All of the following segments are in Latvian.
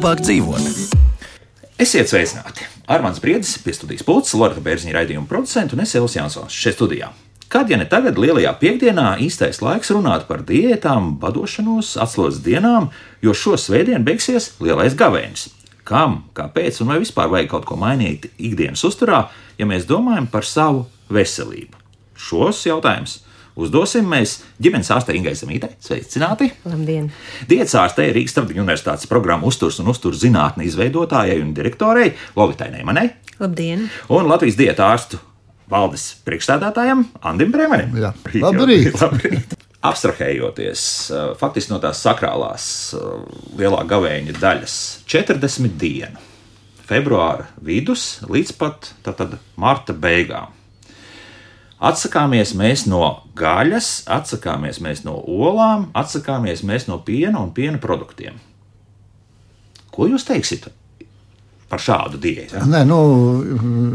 labāk dzīvot. Esiet sveicināti! Armāns Briedis pie studijas pults, Loreta Bērziņa raidījuma producents un es Elvis Jansons šeit studijā. Kad, ja ne tagad, lielajā piekdienā īstais laiks runāt par diētām, badošanos, atslodzes dienām, jo šo svētdienu beigsies lielais gavēnis. Kam, kāpēc un vai vispār vajag kaut ko mainīt ikdienas uzturā, ja mēs domājam par savu veselību? Šos jautājumus uzdosim mēs ģimenes ārstei Ingai Zemītei. Sveicināti! Labdien! Diētas ārstei Rīgas Starptautiskās universitātes programmu uzturs un uzturs zinātne izveidotājai un direktorei Lovitai Neimanai. Labdien! Un Latvijas diētu ārstu valdes priekšstādātājam Andim Brēmenim. Jā. Labrīt! Labrīt! Abstrahējoties faktiski no tās sakrālās lielā gavēņa daļas 40 dienu, februāra vidus līdz pat tātad marta beigām. Atsakāmies mēs no gaļas, atsakāmies mēs no olām, atsakāmies mēs no piena un piena produktiem. Ko jūs teiksiet par šādu diētu? Ja? Nē,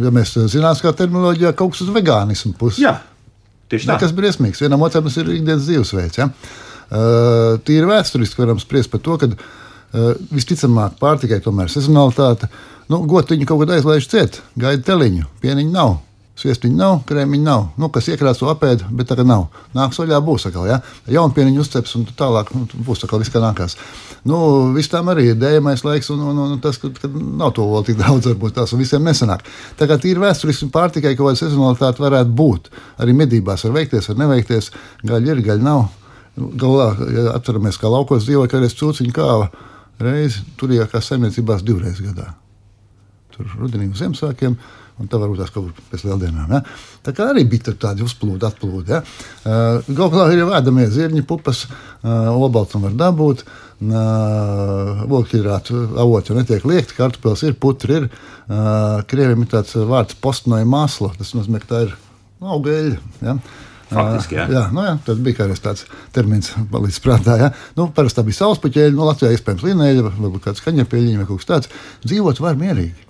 ja mēs zinām, kā terminoloģijā kaut kas uz vegānismu puses. Jā, tieši tā. Tas ir briesmīgs. Vienam otram tas ir ikdienas dzīvesveids. Ja? Tīri vēsturiski varam spriest par to, ka visticamāk pārtikai tomēr sezonalitāte. Gotiņu kaut kad aizlaiž ciet, gaida teliņu, pieniņu nav. Sviestiņa nav, krēmiņa nav. Kas iekrāso apēd, bet tagad nav. Nāks vaļā būs atkal, ja? Jaunpieniņu uzceps un tālāk būs atkal viss, kā nākās. Viss tam arī ir dējamais laiks un tas, kad nav to vēl tik daudz, varbūt tās un visiem nesanāk. Tā kā tīri vēsturiski pārtikai kaut kāda sezonalitāte varētu būt. Arī medībās var veikties, var neveikties. Gaļa ir, gaļa nav. Galvā, ja atceramies, kā laukos dzīvoja, ka reiz cūciņu kāva reizi, turījākās saimniecībās 2 reizes gadā. Tur rudenī uz Ziemassvētkiem. Un tā varbūt tās kaut kur pēc lieldienām. Ja? Tā kā arī bija tādi uzplūdi, atplūdi. Ja? Galu galā ir jau ēdamie zirņi, pupas, olbaltumu var dabūt, ogļhidrātu avoti jau netiek liekti, kartupeļs ir, putri ir. Krieviem ir tāds vārds postnoja masla, tas nozīmē, ka tā ir augaļa. Ja? Faktiski, jā. Jā, tas bija kādreiz tāds termins palīdz prātā. Ja? Parasti tā bija saulespuķeļa, Latvijā iespējams linēļa, varbūt kāds kaņepieļiņa vai kaut kas tāds. Dzīvot var mierīgi.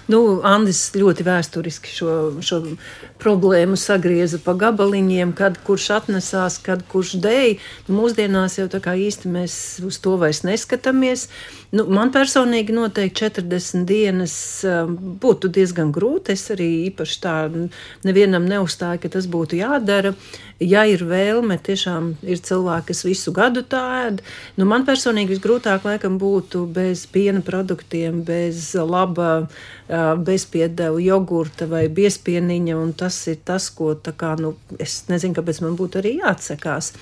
Andis ļoti vēsturiski šo problēmu sagrieza pa gabaliņiem, kad kurš atnesās, kad kurš dēja. Mūsdienās jau tā kā īsti mēs uz to vairs neskatāmies. Man personīgi noteikti 40 dienas būtu diezgan grūti. Es arī īpaši tā nevienam neuzstāju, ka tas būtu jādara. Ja ir vēlme, tiešām ir cilvēki, kas visu gadu tā ēd. Man personīgi visgrūtāk laikam būtu bez piena produktiem, bez laba bezpiedevu jogurta vai biezpieniņa, un tas ir tas, ko es nezinu, kāpēc man būtu arī jāatsakās.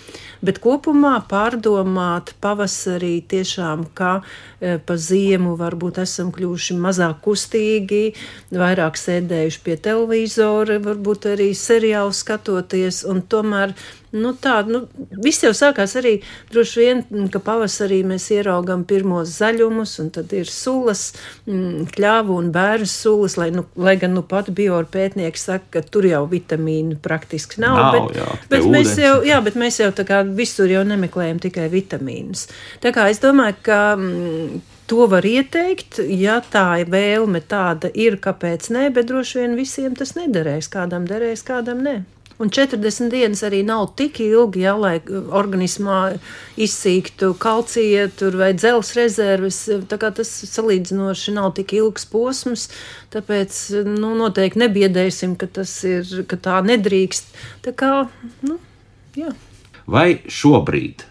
Bet kopumā pārdomāt pavasarī tiešām, ka pa ziemu varbūt esam kļuvuši mazāk kustīgi, vairāk sēdējuši pie televizora, varbūt arī seriālu skatoties, un tomēr viss jau sākās arī droši vien, ka pavasarī mēs ieraugam pirmos zaļumus, un tad ir sulas, kļāvu un bērnu sulas, lai gan pat biopētnieki saka, ka tur jau vitamīnu praktiski nav. Bet mēs jau tā kā visur jau nemeklējam tikai vitamīnus. Tā kā es domāju, ka to var ieteikt, ja tā vēlme tāda ir, kāpēc ne, bet droši vien visiem tas nederēs, kādam derēs, kādam ne. Un 40 dienas arī nav tik ilgi, lai organismā izsīktu kalcija vai dzelzs rezerves. Tā kā tas salīdzinoši nav tik ilgs posms, tāpēc noteikti nebiedēsim, ka tā nedrīkst. Tā kā, jā. Vai šobrīd,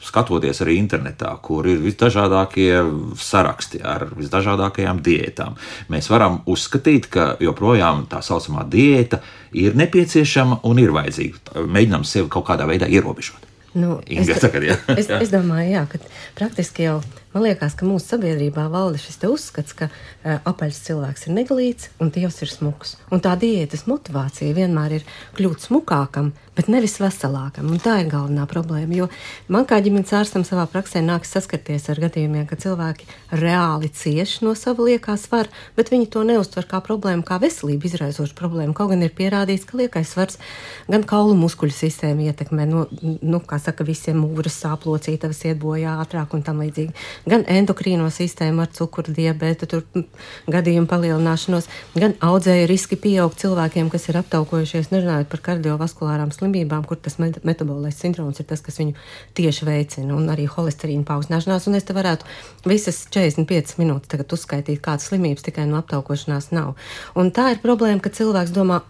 skatoties arī internetā, kur ir visdažādākie saraksti ar visdažādākajām diētām, mēs varam uzskatīt, ka joprojām tā saucamā diēta ir nepieciešama un ir vajadzīga. Mēģinām sevi kaut kādā veidā ierobežot. Inga, es domāju, ka praktiski jau man liekas, ka mūsu sabiedrībā valda šis uzskats, ka apaļs cilvēks ir neglīts un tievs ir smuks. Un tā diētas motivācija vienmēr ir kļūt smukākam, bet nevis veselākam. Un tā ir galvenā problēma, jo man kā ģimenes ārstam savā praksē nāks saskarties ar gadījumiem, ka cilvēki reāli cieš no sava liekā svara, bet viņi to neuztver kā problēmu, kā veselību izraisošu problēmu. Kaut gan ir pierādīts, ka liekais svars gan kaulu muskuļu sistēmu ietekmē, kā saka, visiem mūras sāplocītavas iet bojā ātrāk un tam līdzīgi. gan endokrīno sistēmu ar cukuru diabētu, tur gadījumu palielināšanos, gan audzēju riski pieaug cilvēkiem, kas ir aptaukojušies, nerunājot par kardiovaskulārām slimībām, kur tas metabolais sindroms ir tas, kas viņu tieši veicina, un arī holesterīna paaugstināšanās, un es te varētu visas 45 minūtes tagad uzskaitīt, kādas slimības tikai no aptaukošanās nav. Un tā ir problēma, ka cilvēks domā,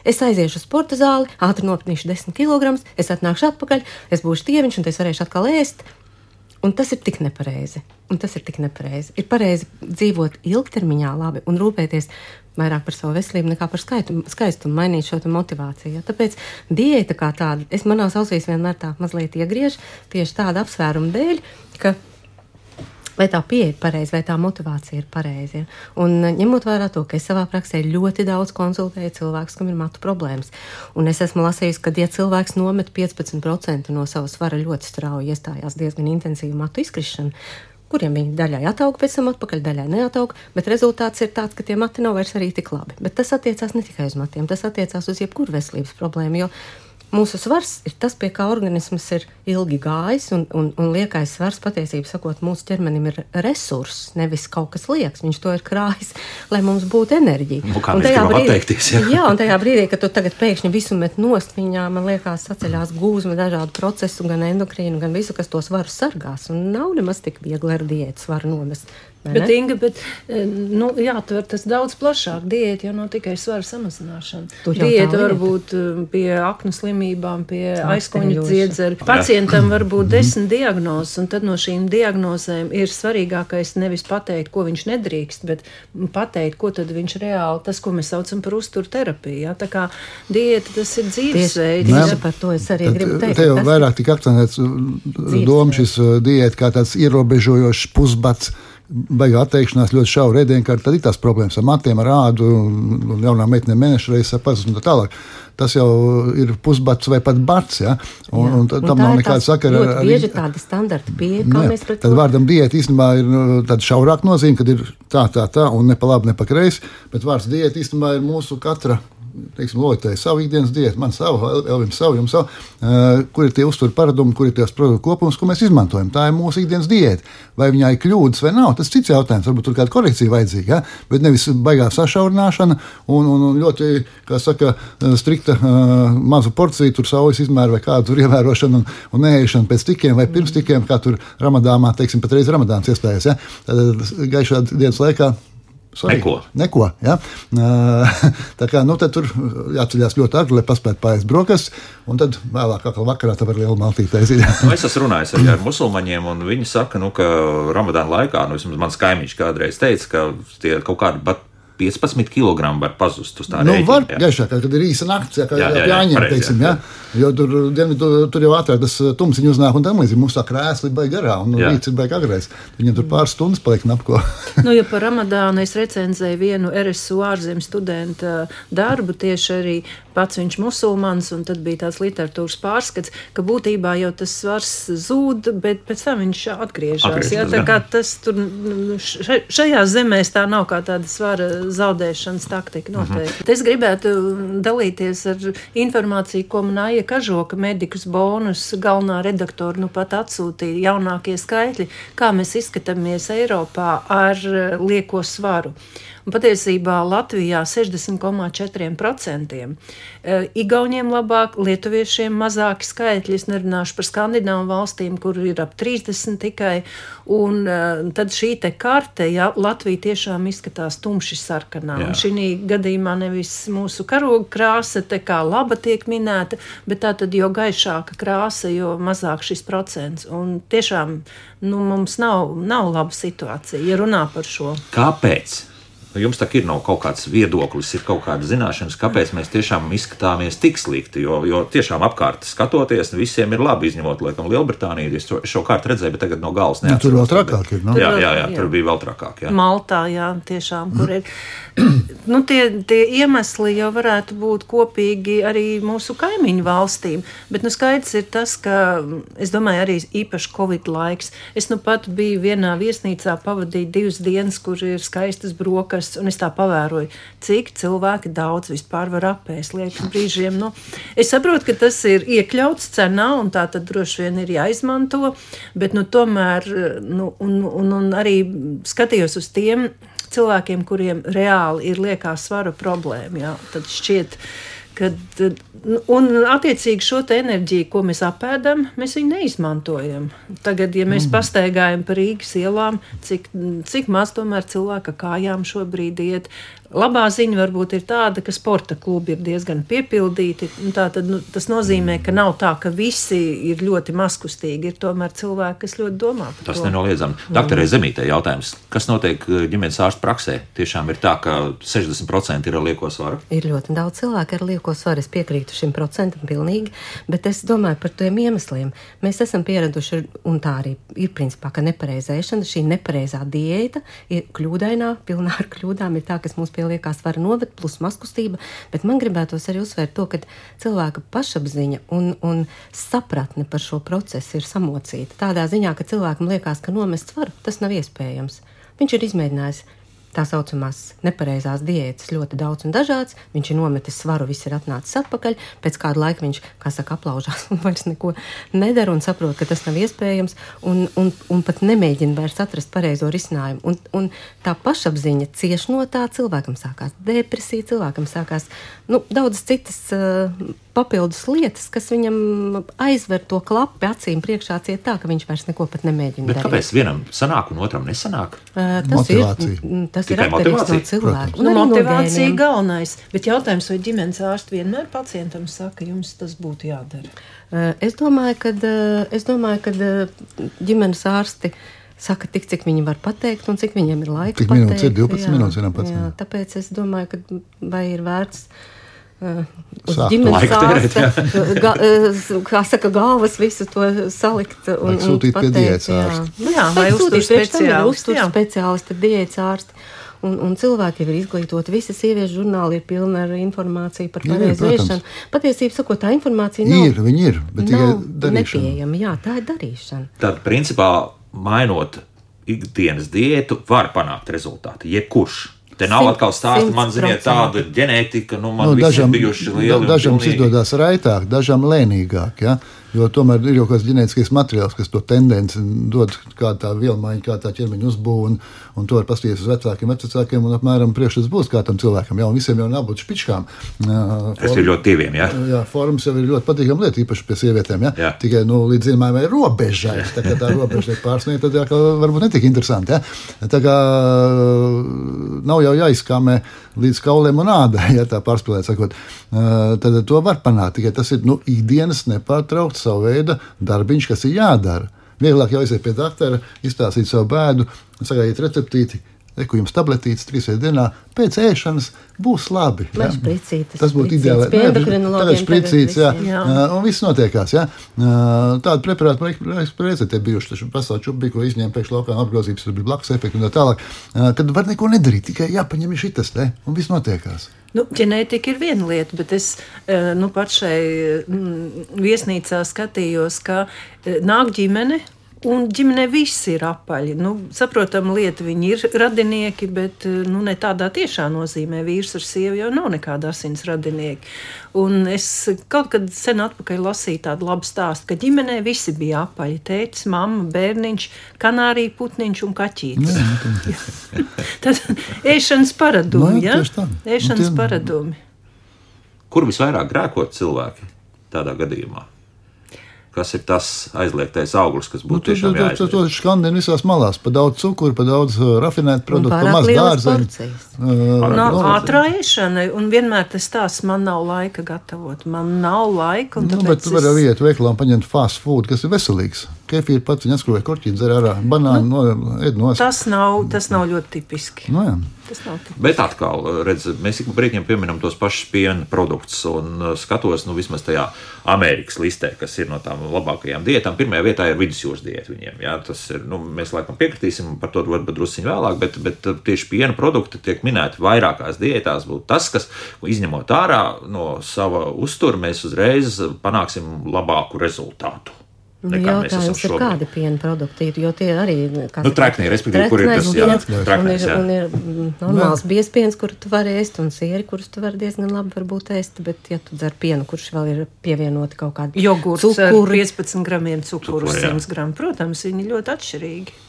es aiziešu uz sporta zāli, ātri nopnīšu 10 kg, es atnākšu atpakaļ, es būšu tieviņš, un es varēšu atkal ēst. Un tas ir tik nepareizi. Ir pareizi dzīvot ilgtermiņā labi un rūpēties vairāk par savu veselību nekā par skaistumu, mainīt šo motivāciju. Tāpēc diēta kā tāda, manās ausīs vienmēr tā mazliet iegriež tieši tāda apsvēruma dēļ, ka vai tā pieeja ir pareiza, vai tā motivācija ir pareiza. Un ņemot vērā to, ka es savā praksē ļoti daudz konsultēju cilvēkus, kam ir matu problēmas. Un es esmu lasījusi, ka, ja cilvēks nomet 15% no sava svara ļoti strauji, iestājās diezgan intensīva matu izkrišana, kuriem viņi daļai atauga pēc tam atpakaļ, daļai neatauga, bet rezultāts ir tāds, ka tie mati nav vairs arī tik labi. Bet tas attiecās ne tikai uz matiem, tas attiecās uz jebkuru veselības problēmu, jo mūsu svars ir tas, pie kā organisms ir ilgi gājis, un liekais svars, patiesībā sakot, mūsu ķermenim ir resurss, nevis kaut kas liekas. Viņš to ir krājis, lai mums būtu enerģija. Kā mēs gribam atteikties, jā. Jā, un tajā brīdī, kad tu tagad pēkšņi visu met nost, viņā, man liekas, saceļās gūzma dažādu procesu, gan endokrīnu, gan visu, kas to svaru sargās. Un nav nemaz tik viegli ar diētu svaru nomest. Bet, Inga, jātver tas daudz plašāk. Diēta jau nav tikai svara samazināšana. Diēta var būt pie aknu slimībām, pie aizkoņu dziedzera. Pacientam var būt 10 diagnozes, un tad no šīm diagnozēm ir svarīgākais nevis pateikt, ko viņš nedrīkst, bet pateikt, ko tad viņš reāli, tas, ko mēs saucam par uzturterapiju. Ja? Tā kā diēta, tas ir dzīvesveids. Tieši par to es arī gribu teikt. Te jau vairāk tik akcentēts doma šis diēta kā tāds ierobežojošs pusbats, baigā atteikšanās ļoti šaura ēdienkārta, tad ir tās problēmas ar matiem, ar ādu, un jaunām meitenēm mēnešu reizes pazust un tā tālāk. Tas jau ir pusbats vai pat bats, ja? Un tam nav nekāda sakara. Ļoti bieži tāda standarta pieeja, kā mēs pret to. Tad vārdam diēta īstenībā ir tāda šaurāka nozīme, kad ir tā, un ne pa labi, ne pa kreisi, bet vārds diēta īstenībā ir mūsu katra, teiksim, lojotēji savu ikdienas diētu, man savu, Elvim savu, jums savu, kur ir tie uzturu paradumi, kur ir tās produktu kopums, ko mēs izmantojam. Tā ir mūsu ikdienas diēta. Vai viņā ir kļūdas vai nav, tas cits jautājums, varbūt tur kāda korekcija vajadzīga, ja? Bet nevis baigā sašaurināšana un ļoti, kā saka, strikta mazu porciju, tur saujas izmēru vai kādu tur ievērošanu un neēšanu pēc tikiem vai pirms tikiem, kā tur Ramadānā, teiksim, patreiz Ramadāns iestājas, ja? Tad gaišā dienas laikā Neko, ja? Tā kā, tad tur jāceļās ļoti agri, lai paspētu pāriest brokastis, un tad vēlāk vakarā tā var liela maltīte aiziet. Es esmu runājis arī ar musulmaņiem, un viņi saka, ka Ramadāna laikā, vismaz mans kaimiņš kādreiz teica, ka tie kaut kādi 15 kg var pazust uz tā rēķina. Var gaišāk, kad ir īsa nakts, kā jāņem, teiksim, ja? Jo tur jau ātrāk tas tumsiņu uznāk un tam līdzīgi. Mums tā krēsli baigi garā un rīts ir baigi agrais. Viņam tur pāris stundas paliek napko. Ja par Ramadānu es recenzēju vienu RSU ārzemju studenta darbu, tieši arī pats viņš musulmanis, un tad bija tāds literatūras pārskats, ka būtībā jau tas svars zūd, bet pēc tam viņš atgriežas. Ja? Tā kā tas tur šajās zemēs tā nav kā tāda svara zaudēšanas taktika noteikti. Es gribētu dalīties ar informāciju, ko man Aija Kažoka, Medikus Bonus, galvenā redaktora, pat atsūtīja jaunākie skaitļi, kā mēs izskatāmies Eiropā ar lieko svaru. Un patiesībā Latvijā 60,4%. Igauniem labāk, lietuviešiem mazāki skaitļi, es nerunāšu par Skandināvu valstīm, kur ir ap 30 tikai, un tad šī te karte, ja Latvija tiešām izskatās tumši sarkanā, un šī gadījumā nevis mūsu karoga krāsa te kā laba tiek minēta, bet tā tad jo gaišāka krāsa, jo mazāk šis procents, un tiešām, mums nav laba situācija, ja runā par šo. Kāpēc? Jums tā ir nav kaut kāds viedoklis, ir kaut kāda zināšanas, kāpēc mēs tiešām izskatāmies tik slikti, jo tiešām apkārt skatoties, visiem ir labi, izņemot, laikam, Lielbritāniju, es šo kārtu redzēju, bet tagad no galvas neatceros. Tur vēl trakāk ir, no? Jā, tur bija vēl trakāk, jā. Maltā, jā, tiešām, kur ir. Tie iemesli jau varētu būt kopīgi arī mūsu kaimiņu valstīm, bet skaidrs ir tas, ka, es domāju, arī īpaši Covid laiks. Es pat biju vienā viesnīcā pavadīt 2 dienas, kur ir skaistas brokas, piemērs, un es tā pavēroju, cik cilvēki daudz vispār var apēst. Liekas brīžiem, es saprotu, ka tas ir iekļauts cenā, un tā tad droši vien ir jāizmanto, bet tomēr, un arī skatījos uz tiem cilvēkiem, kuriem reāli ir liekā svara problēma, jā, tad šķiet, un attiecīgi šo te enerģiju, ko mēs apēdam, mēs viņu neizmantojam. Tagad, ja mēs pastaigājam pa Rīgas ielām, cik maz tomēr cilvēka kājām šobrīd iet. Labā ziņa varbūt ir tāda, ka sporta klubi ir diezgan piepildīti. Tātad, tas nozīmē, ka nav tā, ka visi ir ļoti mazkustīgi. Ir tomēr cilvēki, kas ļoti domā par to. Tas nenoliedzami. Doktorē Zemītē jautājums, kas notiek ģimenes ārstu praksē? Tiešām ir tā, ka 60% ir ar lieko svaru? Ir ļoti daudz cilvēku ar lieko svaru. Es piekrītu šim procentam pilnīgi, bet es domāju par tiem iemesliem. Mēs esam pieraduši, un tā arī ir principā, ka nepareizēšana, šī nepareizā diēta ir kļūdainā, pilnā ar kļūdām, ir tā, kas mums pie liekā svara noved, plus mazkustība, bet man gribētos arī uzsvērt to, ka cilvēka pašapziņa un sapratne par šo procesu ir samocīta. Tādā ziņā, ka cilvēkam liekas, ka nomest svaru, tas nav iespējams. Viņš ir izmēģinājis tā saucamās nepareizās diētas ļoti daudz un dažāds, viņš ir nometis svaru, viss ir atnācis atpakaļ, pēc kāda laika viņš, kā saka, aplaužās un vairs neko nedara un saprot, ka tas nav iespējams un pat nemēģina vairs atrast pareizo risinājumu. Un tā pašapziņa cieš no tā, cilvēkam sākās depresija, cilvēkam sākās daudzas citas papildus lietas, kas viņam aizver to klapi acīm priekšā ciet tā, ka viņš vairs neko pat nemēģina darīt. Bet kāpēc vienam sanāk un otram nesanāk? Tas ir atkarīgs no cilvēku. Motivācija galvenais. Bet jautājums, vai ģimenes ārsti vienmēr pacientam saka, jums tas būtu jādara? Es domāju, ka ģimenes ārsti saka tik, cik viņi var pateikt un cik viņiem ir laika pateikt. Cik minūtes ir 12 minūtes vienam pacientam? Tāpēc es domāju, ka vai ir vērts uz ģimenes ārsta, kā saka, galvas visu to salikt un sūtīt pateikt, pie diētas ārsta. Vai uztur speciālisti, diētas ārsti. Un cilvēki ir izglītoti, visi sieviešu žurnāli ir pilni ar informāciju par pareizu ēšanu. Patiesībā sakot, tā informācija nav, viņi ir, bet tikai darīšana. Nepieejama, jā, tā ir darīšana. Tad, principā, mainot ikdienas diētu, var panākt rezultātu, jebkurš. Te nav atkal stāsta, man ziniet tāda ģenētika, man visi ir bijuši lieli. Dažam izdodas raitāk, dažam lēnīgāk, ja? Jo tomēr ir jau kāds ģenētiskais materiāls, kas to tendenci dod, kā tā vielmaiņa, kā tā ķermeņa uzbūve, un to var paskatīties uz vecākiem, un apmēram priekšstats būs kā tam cilvēkam, ja, un visiem jau nav būt špičkām. Es ir ļoti tīviem, jā. Jā, formas jau ir ļoti patīkama lieta, īpaši pie sievietēm, ja. Tikai, līdz zināmai robežai, tā kā tā robeža ir pārsniegta, tad jā, varbūt netik interesanti, ja. Tā kā nav jau jāizskāmē līdz kauliem un ādai, ja tā pārspīlēt sakot, tad to var panākt, tikai tas ir, ikdienas nepārtraukts savu veidu darbiņš, kas ir jādara. Vieglāk jau aiziet pie doktora, izstāstīt savu bēdu, sagājiet receptīti, ko jums tabletītes 3 reizes dienā, pēc ēšanas būs labi. Ja? Tas būtu ideāli. Tagad špricītes, jā. Un viss notiekās. Ja? Tādu preparātu reizē te bijuši, taču pasauli čubi, ko izņēma pēkšņi laukā apgrozības, tur bija blakus efekti un tā tālāk. Kad var neko nedarīt, tikai jāpaņem šitas, un viss notiekās. Ģenētika ir viena lieta, bet es pat šai viesnīcā skatījos, ka nāk ģimene, un ģimenē viss ir apaļi. Saprotam lieta, viņi ir radinieki, bet ne tādā tiešā nozīmē. Vīrs ar sievu jau nav nekāda asins radinieki. Un es kaut kad sen atpakaļ lasīju tādu labu stāstu, ka ģimenē visi bija apaļi. Tētis, mamma, bērniņš, kanārija putniņš un kaķītis. Tad ēšanas paradumi, ja? Ēšanas paradumi. Kur visvairāk grēkot cilvēki tādā gadījumā? Kas ir tas aizliegtais auglis, kas būtu tiešām jāizliek? To skandina visās malās. Pa daudz cukuru, pa daudz rafinētu produktu, pa maz dārzeņu. Ātrā ēšana, un vienmēr tas stāsts, man nav laika gatavot. Man nav laika, un tāpēc bet tu vari iet veikalā un paņemt fast food, kas ir veselīgs. Kefīri pats viņa atskrūvē korķīt, dzer ārā, banānu, ēd nost. Tas nav ļoti tipiski. Jā. Bet atkal, redz, mēs ik brīdiem pieminam tos pašus piena produktus un skatos, vismaz tajā Amerikas listē, kas ir no tām labākajām diētām. Pirmajā vietā ir vidusjūras diēta viņiem. Jā, tas ir, mēs laikam piekritīsim, par to varbūt drusciņ vēlāk, bet tieši piena produkti tiek minēti vairākās diētās. Būtu tas, kas izņemot ārā no sava uztura, mēs uzreiz panāksim labāku rezultātu. Jautājums ir, kādi piena produkti ir, jo tie arī... Treknī, respektīvi, kur ir tas, treknēs, un ir normāls biezpiens, kuru tu vari ēst, un sieri, kurus tu vari diezgan labi varbūt ēst, bet ja tu dzer pienu, kurš vēl ir pievienoti kaut kādi jogurts ar 15 gramiem cukuru, 100 gramu, protams, viņi ļoti atšķirīgi.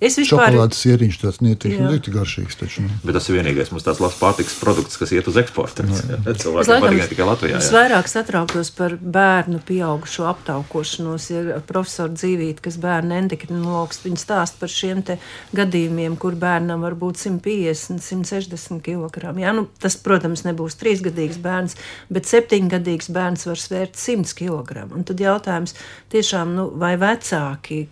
Šokolādes sieriņš tāds ļoti garšīgs taču. Bet tas ir vienīgais mums tāds labs pārtikas produkts, kas iet uz eksportu. Cilvēkiem patīk tikai Latvijā. Es vairāk satrauktos par bērnu pieaugušo aptaukošanos. Ir profesora Dzīvīte, kas bērnu endokrinologs, viņa stāsta par šiem te gadījumiem, kur bērnam var būt 150, 160 kg. Jā, tas, protams, nebūs 3-gadīgs bērns, bet 7-gadīgs bērns var svērt 100 kg. Un tad jautājums tiešām, vai vecāki...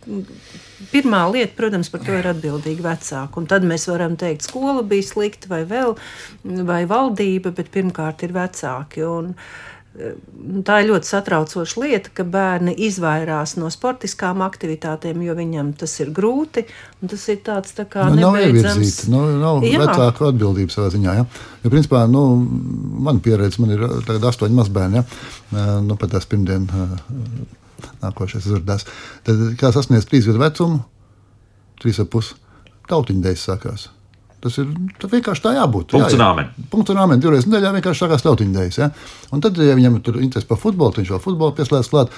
Pirmā lieta, protams, par to ir atbildīgi vecāki. Un tad mēs varam teikt, skola bija slikta vai valdība, bet pirmkārt ir vecāki. Un tā ir ļoti satraucoša lieta, ka bērni izvairās no sportiskām aktivitātēm, jo viņam tas ir grūti. Un tas ir tāds tā kā nebeidzams. Nav vecāku atbildības savā ziņā. Ja? Jo, principā, man pieredze, man ir tagad 8 mazbērni, ja? Pat tās pirmdien... Nākošais uzvardās. Tad, kā sasniedz 3 gadu vecumu, 3,5 tautiņdēļas sākās. Tas vienkārši tā jābūt. Punkts un āmen. Punkts un āmen. 2 reizes nedēļā vienkārši sākās tautiņdēļas. Ja? Un tad, ja viņam tur interesi par futbolu, viņš vēl futbolu pieslēdz klāt,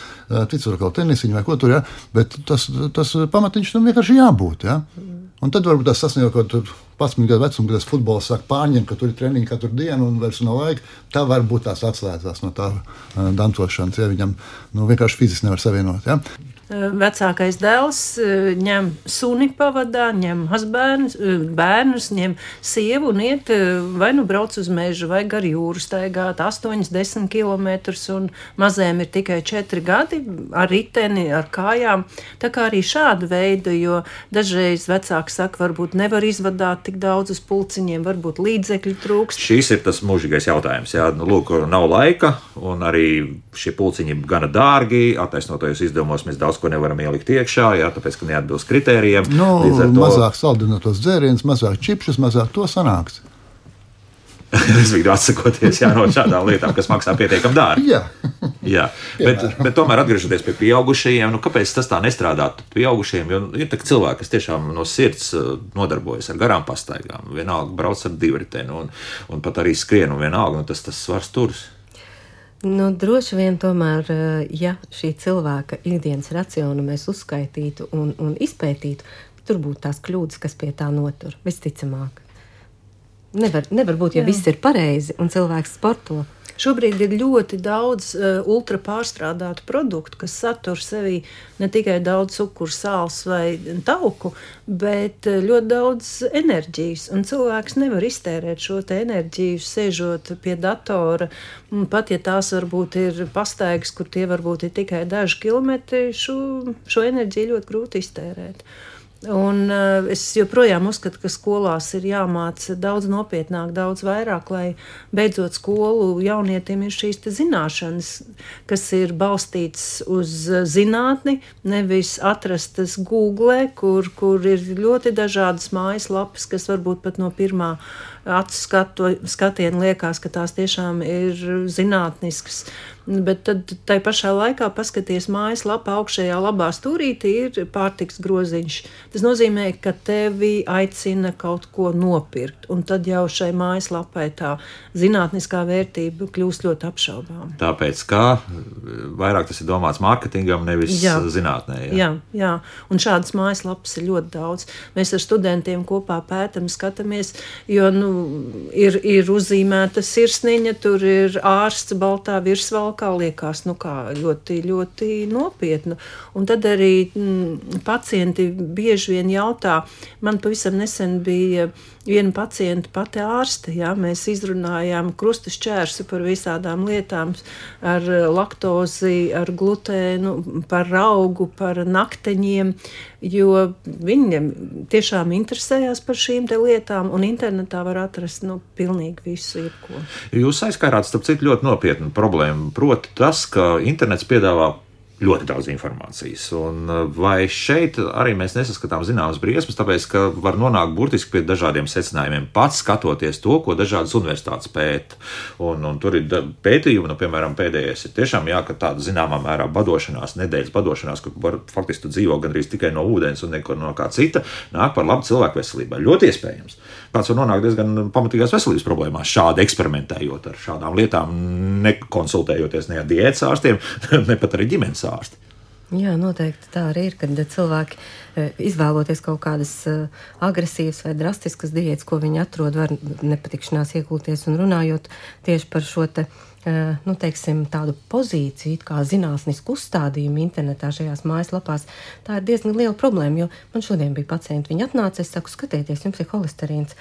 cits var kaut tenisiņu vai ko tur, ja? Bet tas pamatiņš tam vienkārši jābūt. Ja? Un tad varbūt tas sasniedz kaut kādu 11 gadu vecumu, kad tas futbols sāk pārņemt, ka tur ir treniņi katru dienu un vairs nav laika. Tā varbūt tās atslēdzās no tā dancošanas, ja viņam vienkārši fiziski nevar savienot. Ja? Vecākais dēls ņem suni pavadā, ņem bērnus, ņem sievu un iet vai brauc uz mežu vai gar jūru staigāt 8-10 kilometrus un mazēm ir tikai 4 gadi ar riteni, ar kājām. Tā kā arī šāda veida, jo dažreiz vecāki saka, varbūt nevar izvadāt tik daudz uz pulciņiem, varbūt līdzekļu trūkst. Šis ir tas mūžīgais jautājums. Jā, lūk, nav laika un arī šie pulciņi gana dārgi, attaisnotajos izdevumos mēs daudz ko nevaram ielikt iekšā, jā, tāpēc, ka neatbilst kritērijiem. Mazāk saldinātos dzērienus, mazāk čipšus, mazāk to sanāks. Respektīvi atsakoties no šādām lietām, kas maksā pietiekami dārgi. Jā. Bet tomēr atgriežoties pie pieaugušajiem, kāpēc tas tā nestrādāt pieaugušajiem? Jo ir tā cilvēki, kas tiešām no sirds nodarbojas ar garām pastaigām, vienalga brauc ar divriteni un pat arī skrien un vienalga, tas svars turas. Droši vien tomēr, ja šī cilvēka ikdienas racionu mēs uzskaitītu un izpētītu, tur būtu tās kļūdas, kas pie tā notur, visticamāk. Nevar būt, ja viss ir pareizi un cilvēks sporto. Šobrīd ir ļoti daudz ultra pārstrādātu produktu, kas satur sevī ne tikai daudz cukuru, sāls vai tauku, bet ļoti daudz enerģijas. Un cilvēks nevar iztērēt šo te enerģiju, sēžot pie datora. Pat ja tās varbūt ir pastaigas, kur tie varbūt ir tikai daži kilometri, šo enerģiju ļoti grūti iztērēt. Un es joprojām uzskatu, ka skolās ir jāmāca daudz nopietnāk, daudz vairāk, lai beidzot skolu jaunietim ir šīs te zināšanas, kas ir balstītas uz zinātni, nevis atrastas Google, kur ir ļoti dažādas mājaslapas, kas varbūt pat no pirmā acu skatiena liekas, ka tās tiešām ir zinātniskas. Bet tad tai pašā laikā paskaties mājaslapā augšējā labā stūrītī ir pārtiks groziņš. Tas nozīmē, ka tevi aicina kaut ko nopirkt, un tad jau šai mājaslapai tā zinātniskā vērtība kļūst ļoti apšaubām. Tāpēc, kā vairāk tas ir domāts mārketingam, nevis zinātnē. Jā. Un šādas mājaslapas ir ļoti daudz. Mēs ar studentiem kopā pētam, skatāmies, jo ir uzzīmēta sirsniņa, tur ir ārsts baltā virsvalkā, liekas, ļoti, ļoti nopietnu. Un tad arī pacienti bieži vien jautā, man pavisam nesen bija viena pacienta pati ārste, mēs izrunājām krusta šķērsi par visādām lietām, ar laktozi, ar glutēnu, par raugu, par nakteņiem, jo viņiem tiešām interesējās par šīm te lietām, un internetā var atrast pilnīgi visu jebko. Jūs aizskārāt, starp citu, ļoti nopietnu problēmu, proti tas, ka internets piedāvā ļoti daudz informācijas. Un vai šeit arī mēs nesaskatām zināmas briesmas, tāpēc, ka var nonākt burtiski pie dažādiem secinājumiem, pats skatoties to, ko dažādas universitātes pēta. Un tur ir pētījumi, piemēram, pēdējais ir tiešām ka tāda zināmā mērā badošanās, nedēļas badošanās, kur faktiski tu dzīvo gandrīz tikai no ūdens un neko no kā cita, nāk par labu cilvēku veselībai. Ļoti iespējams. Kāds var nonākt diezgan pamatīgās veselības problēmās, šādi eksperimentējot ar šādām lietām, nekonsultējoties ne ar diētas ārstiem, ne pat arī ģimenes ārsti. Jā, noteikti tā arī ir, kad cilvēki izvēloties kaut kādas agresīvas vai drastiskas diētas, ko viņi atrod, var nepatikšanās iekulties un runājot tieši par šo teiksim, tādu pozīciju, kā zinātnisku uzstādījumu internetā šajās mājaslapās. Tā ir diezgan liela problēma, jo man šodien bija pacienti, viņi atnāca, es saku, skatieties, jums ir holesterīns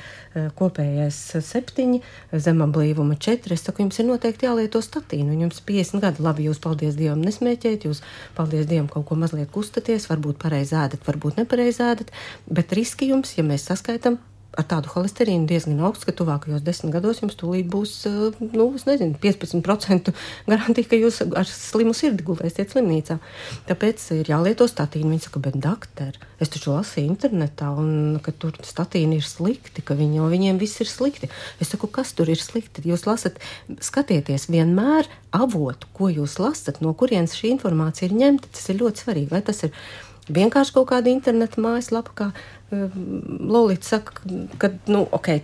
kopējais 7, zemablīvuma 4, es saku, jums ir noteikti jālieto statīnu, jums 50 gadi, labi, jūs, paldies Dievam, nesmēķēt, jūs, paldies Dievam, kaut ko mazliet kustaties, varbūt pareizi ēdat, varbūt nepareizi ēdat, bet riski jums, ja mēs saskaitam, ar tādu holesterīnu diezgan augsts, ka tuvākajos 10 gados jums tūlīt būs, 15% garantija, ka jūs ar slimu sirdi gulēsiet slimnīcā. Tāpēc ir jālieto statīnu. Viņi saka, bet doktor, es taču lasīju internetā, un ka tur statīni ir slikti, ka viņiem viss ir slikti. Es saku, kas tur ir slikti? Jūs lasat, skatieties vienmēr avotu, ko jūs lasat, no kurienes šī informācija ir ņemta. Tas ir ļoti svarīgi. Vai tas ir vienkārši kaut kāda interneta mājaslapa, kā Lolita saka, ka,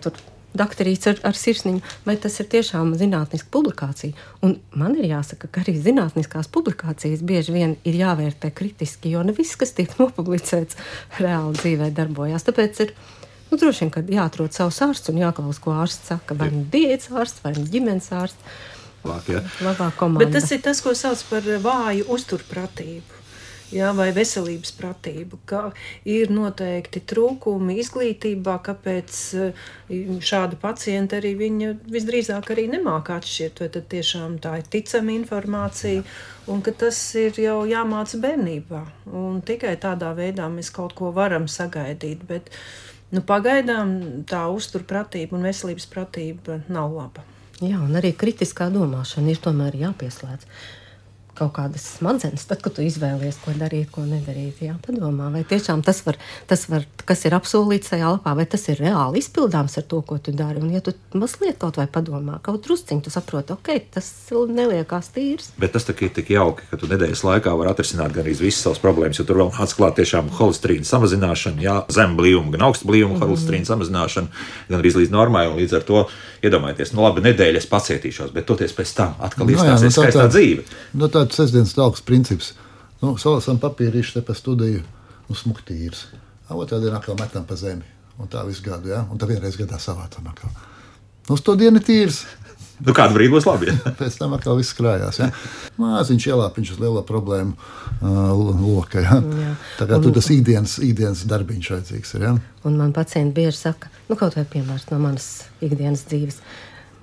tur doktorīts ar sirsniņu, vai tas ir tiešām zinātniska publikācija. Un man ir jāsaka, ka arī zinātniskās publikācijas bieži vien ir jāvērtē kritiski, jo ne viss, kas tiek nopublicēts, reāli dzīvē darbojās. Tāpēc ir droši vien, ka jāatrod savs ārsts un jāklaus, ko ārsts saka, vai diētas ārsts, vai ģimenes ārsts. Labā komanda. Bet tas ir tas, ko sauc par vāju uzturpratību. Vai veselības pratību, ka ir noteikti trūkumi izglītībā, kāpēc šāda pacienta arī viņa visdrīzāk arī nemāk atšķirt, vai tad tiešām tā ir ticama informācija, un ka tas ir jau jāmāca bērnībā, un tikai tādā veidā mēs kaut ko varam sagaidīt, bet pagaidām tā uzturpratība un veselības pratība nav laba. Jā, un arī kritiskā domāšana ir tomēr jāpieslēdz. Kaut kādas smadzenes, tad, kad tu izvēlies, ko darīt, ko nedarīt. Jā, padomā, vai tiešām tas var, kas ir apsolīts tajā lapā, vai tas ir reāli izpildāms ar to, ko tu dari. Un ja tu mazliet kaut vai padomā, kaut drusciņu, tu saproti, tas neliekās tīrs. Bet tas ir tik jauki, ka tu nedēļas laikā var atrisināt gan arī visas savas problēmas, jo tur vēl atklāt tiešām holesterīna samazināšana, zem blīvuma, gan augsta blīvuma holesterīna samazināšana, gan arī līdz normai, un līdz ar to iedomājieties, labi, nedēļas pacietīšos, bet toties pēc tam atkal iestāsies skaistā dzīve. Tāds sestdienas talks princips. Salasam papīrīšu te pa studiju, smuktīrs. Otrā dienā atkal metam pa zemi. Un tā visu gadu, un tā vienreiz gadā savācam atkal. Uz to dienu tīrs. Kādu brīdi būs labi. Pēc tam atkal viss krājās. Māziņš ielāpiņš uz lielo problēmu loka. Tā kā tur tas ikdienas darbiņš vajadzīgs ir. Un man pacienti bieži saka, kaut vai piemērs no manas ikdienas dzīves.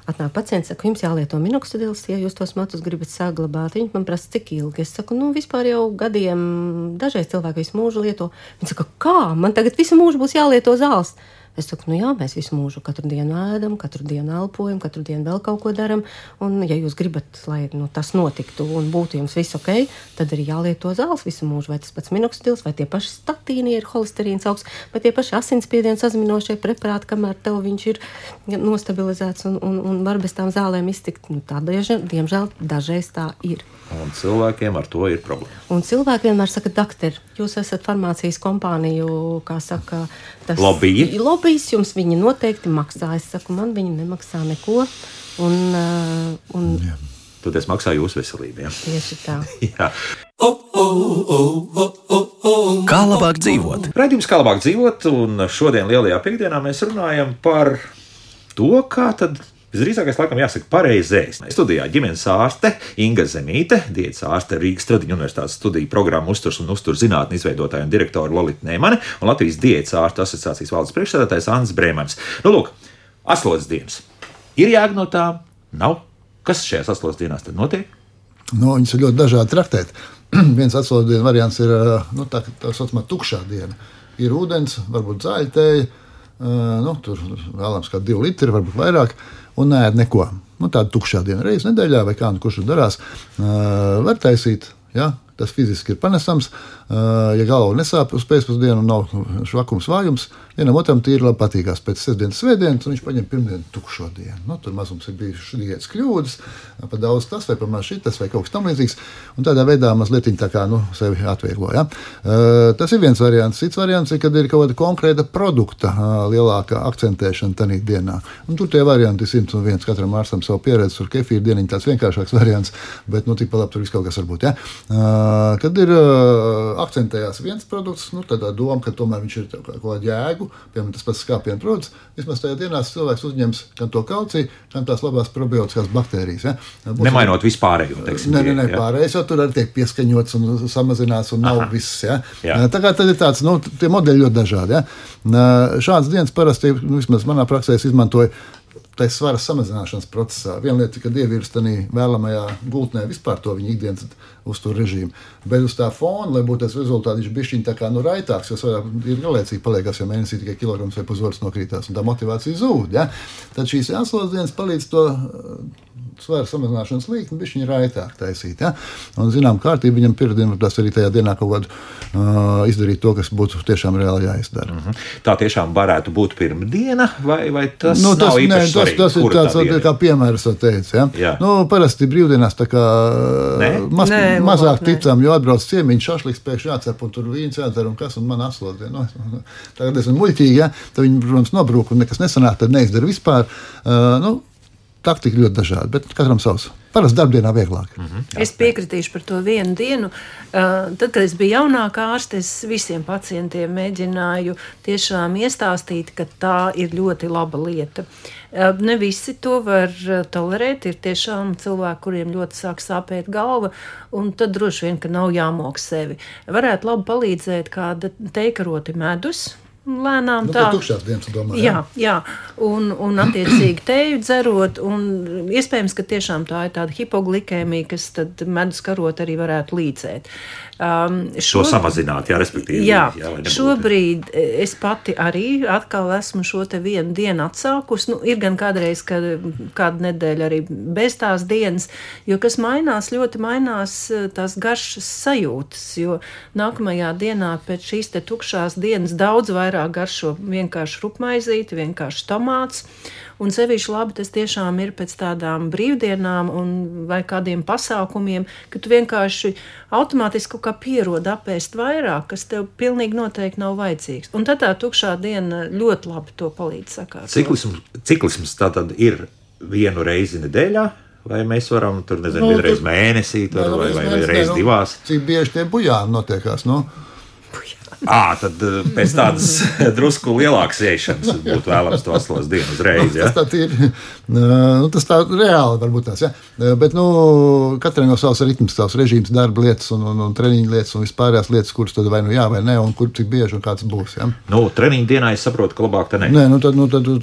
Atnāk pacients, saka, jums jālieto minoxidils, ja jūs tos matus gribat saglabāt. Viņi man prasa, cik ilgi. Es saku, vispār jau gadiem, dažreiz cilvēki visu mūžu lieto. Viņi saka, kā? Man tagad visu mūžu būs jālieto zāles. Es saku, mēs visu mūžu katru dienu ēdam, katru dienu elpojam, katru dienu vēl kaut ko daram. Un, ja jūs gribat, lai tas notiktu un būtu jums viss ok, tad arī jālieto zāles visu mūžu. Vai tas pats minoxidils, vai tie paši statīni ir holesterīns augsts, vai tie paši asinsspiediena sazeminošie preparāti, kamēr tev viņš ir nostabilizēts un var bez tām zālēm iztikt. Tā, diemžēl, dažreiz tā ir. Un cilvēkiem ar to ir problēma. Un cilvēki vienmēr saka, doktor, jūs esat farmācijas kompāniju, kā saka, tas lobbyis jums viņi noteikti maksā. Es saku, man viņi nemaksā neko. Tad es maksāju jūsu veselību. Tieši tā. Jā. Kā labāk dzīvot? Raidījums Kā labāk dzīvot, un šodien lielajā piekdienā mēs runājam par to, kā tad visdrīzākais, laikam, jāsaka pareizais. Studijā ģimenes ārste Inga Zemīte, diētas ārste Rīgas Tradiņu universitātes studiju programmu uzturs un uzturs zinātņu izveidotāja un direktora Lolita Neimane un Latvijas diētas ārstu asociācijas valdes priekšsēdētājs Andris Brēmanis. Lūk, aslodzes dienas. Ir jēga no tā? Nav? Kas šajās aslodzes dienās tad notiek? Viņas ir ļoti dažādi traktēt. Viens aslodzes dienu variants ir tā saucamā tukšā diena. Ir ūdens, varbūt zāļtēja, tur vēlams kā 2 litri, varbūt vairāk. Un neēd neko. Tāda tukšā diena reiz nedēļā vai kā, kurš tur darās, var taisīt, tas fiziski ir panesams. Ja galva nesāp uz pēcpusdienu un nav švakums vājums, vienam otram tīri labi patīkās pēc sestdienas svētdienas, un viņš paņem pirmdienu tukšo dienu. Nu, tur mazums ir bijušas diētas kļūdas, pa daudz tas vai pa maz šitas vai kaut kas tam līdzīgs, un tādā veidā mazliet tā kā sevi atvieglo. Ja? Tas ir viens variants. Cits variants ir, kad ir kaut kāda konkrēta produkta lielākā akcentēšana tajā dienā. Un tur tie varianti 101, katram ārstam savu pieredzi, tur kefīra dieniņa tāds vienkāršāks variants, bet tik pa labi tur viss kaut kas var būt. Ja? Kad ir akcentējās viens produkts, tādā doma, ka tomēr viņš ir kaut kādu jēgu, piemēram, tas pats skāpienu produkts, vismaz tajā dienā cilvēks uzņems gan to kalciju, gan tās labās probiotiskās baktērijas. Ja? Nemainot vispārējo, teiksim. Nē, pārējais jau tur arī tiek pieskaņots un samazināts un nav viss. Ja? Tā kā tad ir tāds, tie modeļi ļoti dažādi. Ja? Šāds dienas parasti, vismaz manā praksē, es izmantoju tā svara samazināšanas procesā. Viena lieta, kad ievirs tādā vēlamajā gultnē vispār to viņa ikdienas uztur režīmu, bet uz tā fona, lai būtu tas rezultāts, viņš bišķiņ tā kā raitāks, jo svarā ir galēcīgi paliekās, jo mēnesī tikai kilograms vai pusotrs nokrītās, un tā motivācija zūd. Ja? Tad šīs jāslos dienas palīdz to svara samazināšanas līkni bišķiņ raitāk taisīt. Ja? Un, zinām, kārtība viņam pirmdien, tas arī tajā dienā kaut kādu izdarīt to, kas būtu tiešām reāli jāizdara. Tā tiešām varētu būt pirmdiena, vai tas nav īpaši svarīgi? Tas ir tāds, kā piemērs, teica. Ja? Parasti brīvdienās tā kā mazāk ticām, jo atbrauc ciemiņš, šašliks pēkšņi jācep, un tur vīns jādzer, un kas, un man atslot. Tagad esmu muļķīgi, ja? Tad viņi, protams, nobrūk, un nekas nesanāk, tad neizdara vispār. Taktika ļoti dažāda, bet katram savs. Parasti darbdienā vieglāk. Es piekritīšu par to vienu dienu. Tad, kad es biju jaunākā ārste, es visiem pacientiem mēģināju tiešām iestāstīt, ka tā ir ļoti laba lieta. Ne visi to var tolerēt. Ir tiešām cilvēki, kuriem ļoti sāk sāpēt galva, un tad droši vien, ka nav jāmok sevi. Varētu labi palīdzēt kāda teikaroti medus, lēnām tā. Tukšās dienas, domāju. Jā. Un attiecīgi teju dzerot, un iespējams, ka tiešām tā ir tāda hipoglikēmija, kas tad medus karot arī varētu līdzēt. Šo samazināt, respektīvi. Jā, šobrīd es pati arī atkal esmu šo te vienu dienu atsākus. Ir gan kādreiz, kādu nedēļu arī bez tās dienas, jo kas mainās, ļoti mainās tās garšas sajūtas, jo nākamajā dienā pēc šīs te tukšās dienas daudz vairāk garšo vienkārši rupmaizīti, vienkārši tomāts. Un sevišķi labi tas tiešām ir pēc tādām brīvdienām vai kādiem pasākumiem, ka tu vienkārši automātiski kaut kā pierod apēst vairāk, kas tev pilnīgi noteikti nav vajadzīgs. Un tad tā tukšā diena ļoti labi to palīdz sakāt. Ciklisms tātad ir vienu reizi nedēļā? Vai mēs varam tur, vienreiz mēnesī, vai reiz divās? Cik bieži tie bujāni notiekās, Tad pēc tādas drusku lielākas iešanas būtu vēlams to atslās dienu uzreiz. Ja? Tas tā reāli varbūt tās, ja? Bet katram jau savs ritms, savs režīms, darba lietas un treniņu lietas un vispārējās lietas, kuras tad vai jā vai ne, un kur cik bieži un kāds būs. Ja? Treniņu dienā es saprotu, ka labāk te ne. Nē, tad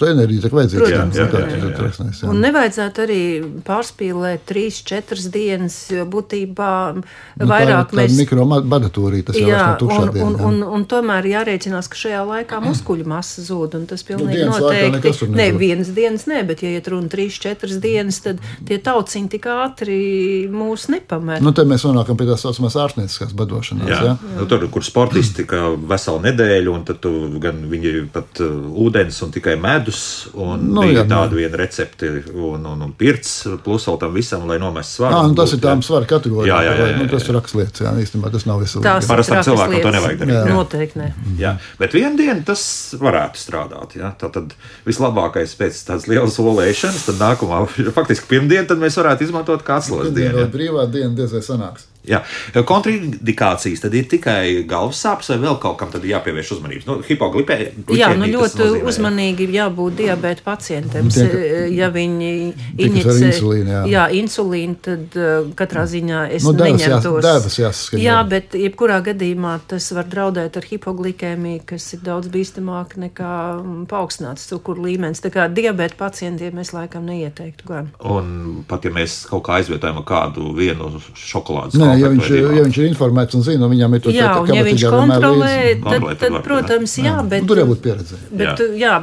enerģija tiek vajadzīga. Un nevajadzētu arī pārspīlēt 3-4 dienas, jo būtībā vairāk mēs... Tā mikrobadatūrija, tas jau vairs no tukšā diena. Un tomēr jārēķinās, ka šajā laikā muskuļu masa zūd, un tas pilnīgi noteikti. Ne, vienas dienas ne, bet ja iet runa 3-4 dienas, tad tie tauciņi tik ātri mūs nepamet. Te mēs nonākam pie tās saucamās ārstnieciskās badošanās. Jā. Tur, kur sportisti kā veselu nedēļu, un tad gan viņi pat ūdens un tikai medus, un bija tāda viena recepti un pirts, plus vēl tam visam, lai nomest svaru. Tas ir tām svaru kategorijām. Tas ir rakslietas, īstenībā tas nav visu. Parastam cilvēkam to nevajag darīt. Noteikti ne. Jā, bet vienu dienu tas varētu strādāt. Ja? Tātad vislabākais pēc tādas lielas olēšanas, tad nākamā, faktiski pirmdiena, tad mēs varētu izmantot kā atslēgas dienu. Brīvā diena diezvai sanāks. Jā, kontraindikācijas tad ir tikai galvas sāpes vai vēl kaut kam tad jāpievērš uzmanības? Hipoglipēmija. Jā, ļoti uzmanīgi jābūt diabēta pacientiem. Ja viņi inicē insulīnu, tad katrā ziņā es neņemtos. Devas jāsaskaņo. Jā, bet jebkurā gadījumā tas var draudēt ar hipoglikēmiju, kas ir daudz bīstamāk nekā paaugstināts cukuru līmenis. Tā kā diabēta pacientiem es laikam neieteiktu gan. Un pat ja mēs kaut kā aizvietojam kādu vienu šokolādes ja viņš ir informēts un zina, un viņam ir to jā, un ja viņš kontrolē, tad protams, jā, bet... Tur jābūt pieredzē.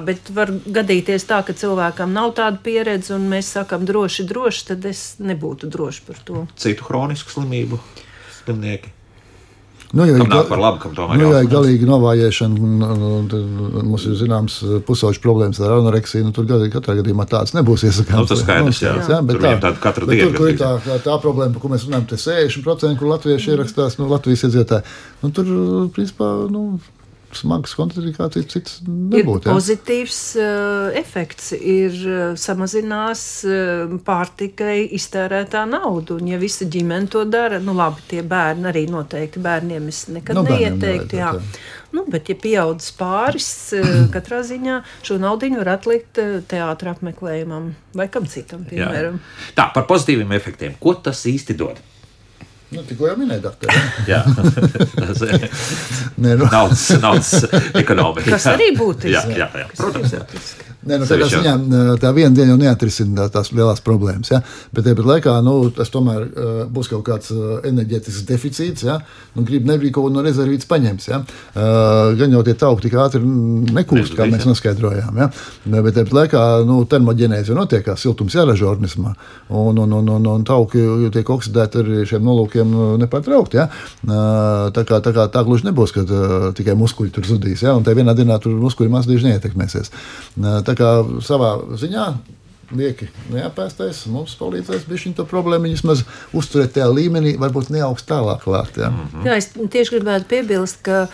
Bet var gadīties tā, ka cilvēkam nav tāda pieredze, un mēs sakam droši, tad es nebūtu droši par to. Citu hronisku slimību slimnieki? Nu, kam nāk par labu, kam tomēr jā, galīgi novājēšana, mums ir zināms pusauģu problēmas ar anoreksiju, tur katrā gadījumā tāds nebūs iesakāms. Tas skaidrs, jā. Bet tur viņam tāda katru dienu. Tur ir tā problēma, par ko mēs runājam, te 60%, kur latvieši ierakstās, Latvijas iedzīvotāji. Tur, principā, smagas kontraindikācijas cits nebūtu. Ir pozitīvs efekts, samazinās pārtikai iztērētā naudu, un ja visa ģimene to dara, labi, tie bērni arī noteikti, bērniem es nekad neieteiktu, jā. Bet ja pieaudzis pāris, katrā ziņā šo naudiņu var atlikt teātra apmeklējumam vai kam citam, piemēram. Jā. Tā, par pozitīviem efektiem. Ko tas īsti dod? Tikko jau minēja, doktori. Jā, naudas ekonomika. Kas arī būtiski. Jā, protams, jā. Tādā ziņā tā viena diena jau neatrisina tās lielās problēmas, ja? Bet tāpat laikā, tas tomēr būs kaut kāds enerģētisks deficīts, ja? Negrib kaut ko no rezervītes paņems, ja? Gan jau tie tauki tik ātri nekūst, kā mēs noskaidrojām, ja? Bet tāpat laikā, termoģenēze jau notiek, kā siltums jāražo organismā, un tauki tiek oksidēti ar šiem nolūkiem nepārtraukti, ja? Tā gluži nebūs, ka tikai muskuļi tur zudīs, ja? Un tā vienā dienā tur muskuļi mazdīži neietekmēsies. Tā kā savā ziņā lieki neapēstais mums palīdzēs bišķiņ to problēmu vismaz uzturēt tajā līmenī, varbūt neaugst tālāk klāt. Jā. Jā, es tieši gribētu piebilst, ka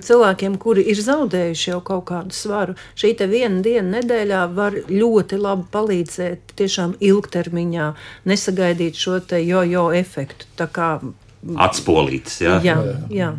cilvēkiem, kuri ir zaudējuši jau kaut kādu svaru, šī te viena diena nedēļā var ļoti labi palīdzēt tiešām ilgtermiņā, nesagaidīt šo te jo efektu. Tā kā atspolītas, jā. Jā.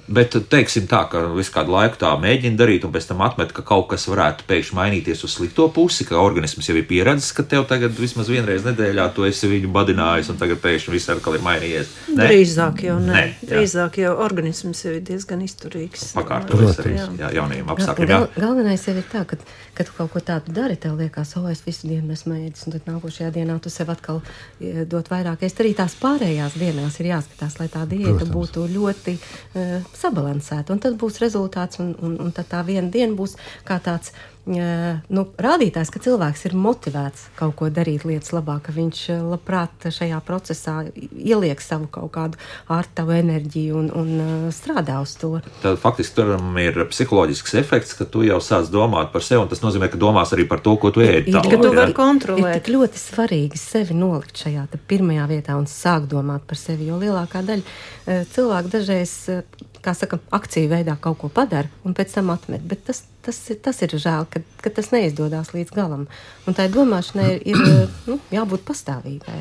Bet teiksim tā, ka visu kādu laiku tā mēģina darīt un pēc tam atmet, ka kaut kas varētu pēkšņi mainīties uz slikto pusi, ka organisms jau ir pieredzis, ka tev tagad vismaz vienreiz nedēļā tu esi viņu badinājis un tagad pēkšņi viss atkal ir mainījies. Ne? Drīzāk jau ne. Drīzāk jau organisms jau ir diezgan izturīgs. Pakārtojas arī jaunajiem apstākļiem. Galvenais jau ir tā, ka tu kaut ko tādu dari, tev liekas, es visu dienu esmu ēdis, un tad nākošajā dienā tu sev atkal dot vairāk. Arī tās pārējās dienās ir jāskatās, lai tā diēta būtu ļoti sabalansēta. Un tad būs rezultāts, un tad tā viena diena būs kā tāds rādītājs, ka cilvēks ir motivēts kaut ko darīt lietas labāk, ka viņš labprāt šajā procesā ieliek savu kaut kādu ārtavu enerģiju un strādā uz to. Tad faktiski tur ir psiholoģisks efekts, ka tu jau sāc domāt par sevi, un tas nozīmē, ka domās arī par to, ko tu ēdi. Ka tu vari kontrolēt. Ir tik ļoti svarīgi sevi nolikt šajā pirmajā vietā un sākt domāt par sevi, jo lielākā daļa cilvēku dažreiz, kā saka, akciju veidā kaut ko padara un pēc tam atmet, bet tas ir žēl, ka tas neizdodas līdz galam. Un tai domāšanai ir jābūt pastāvīgai.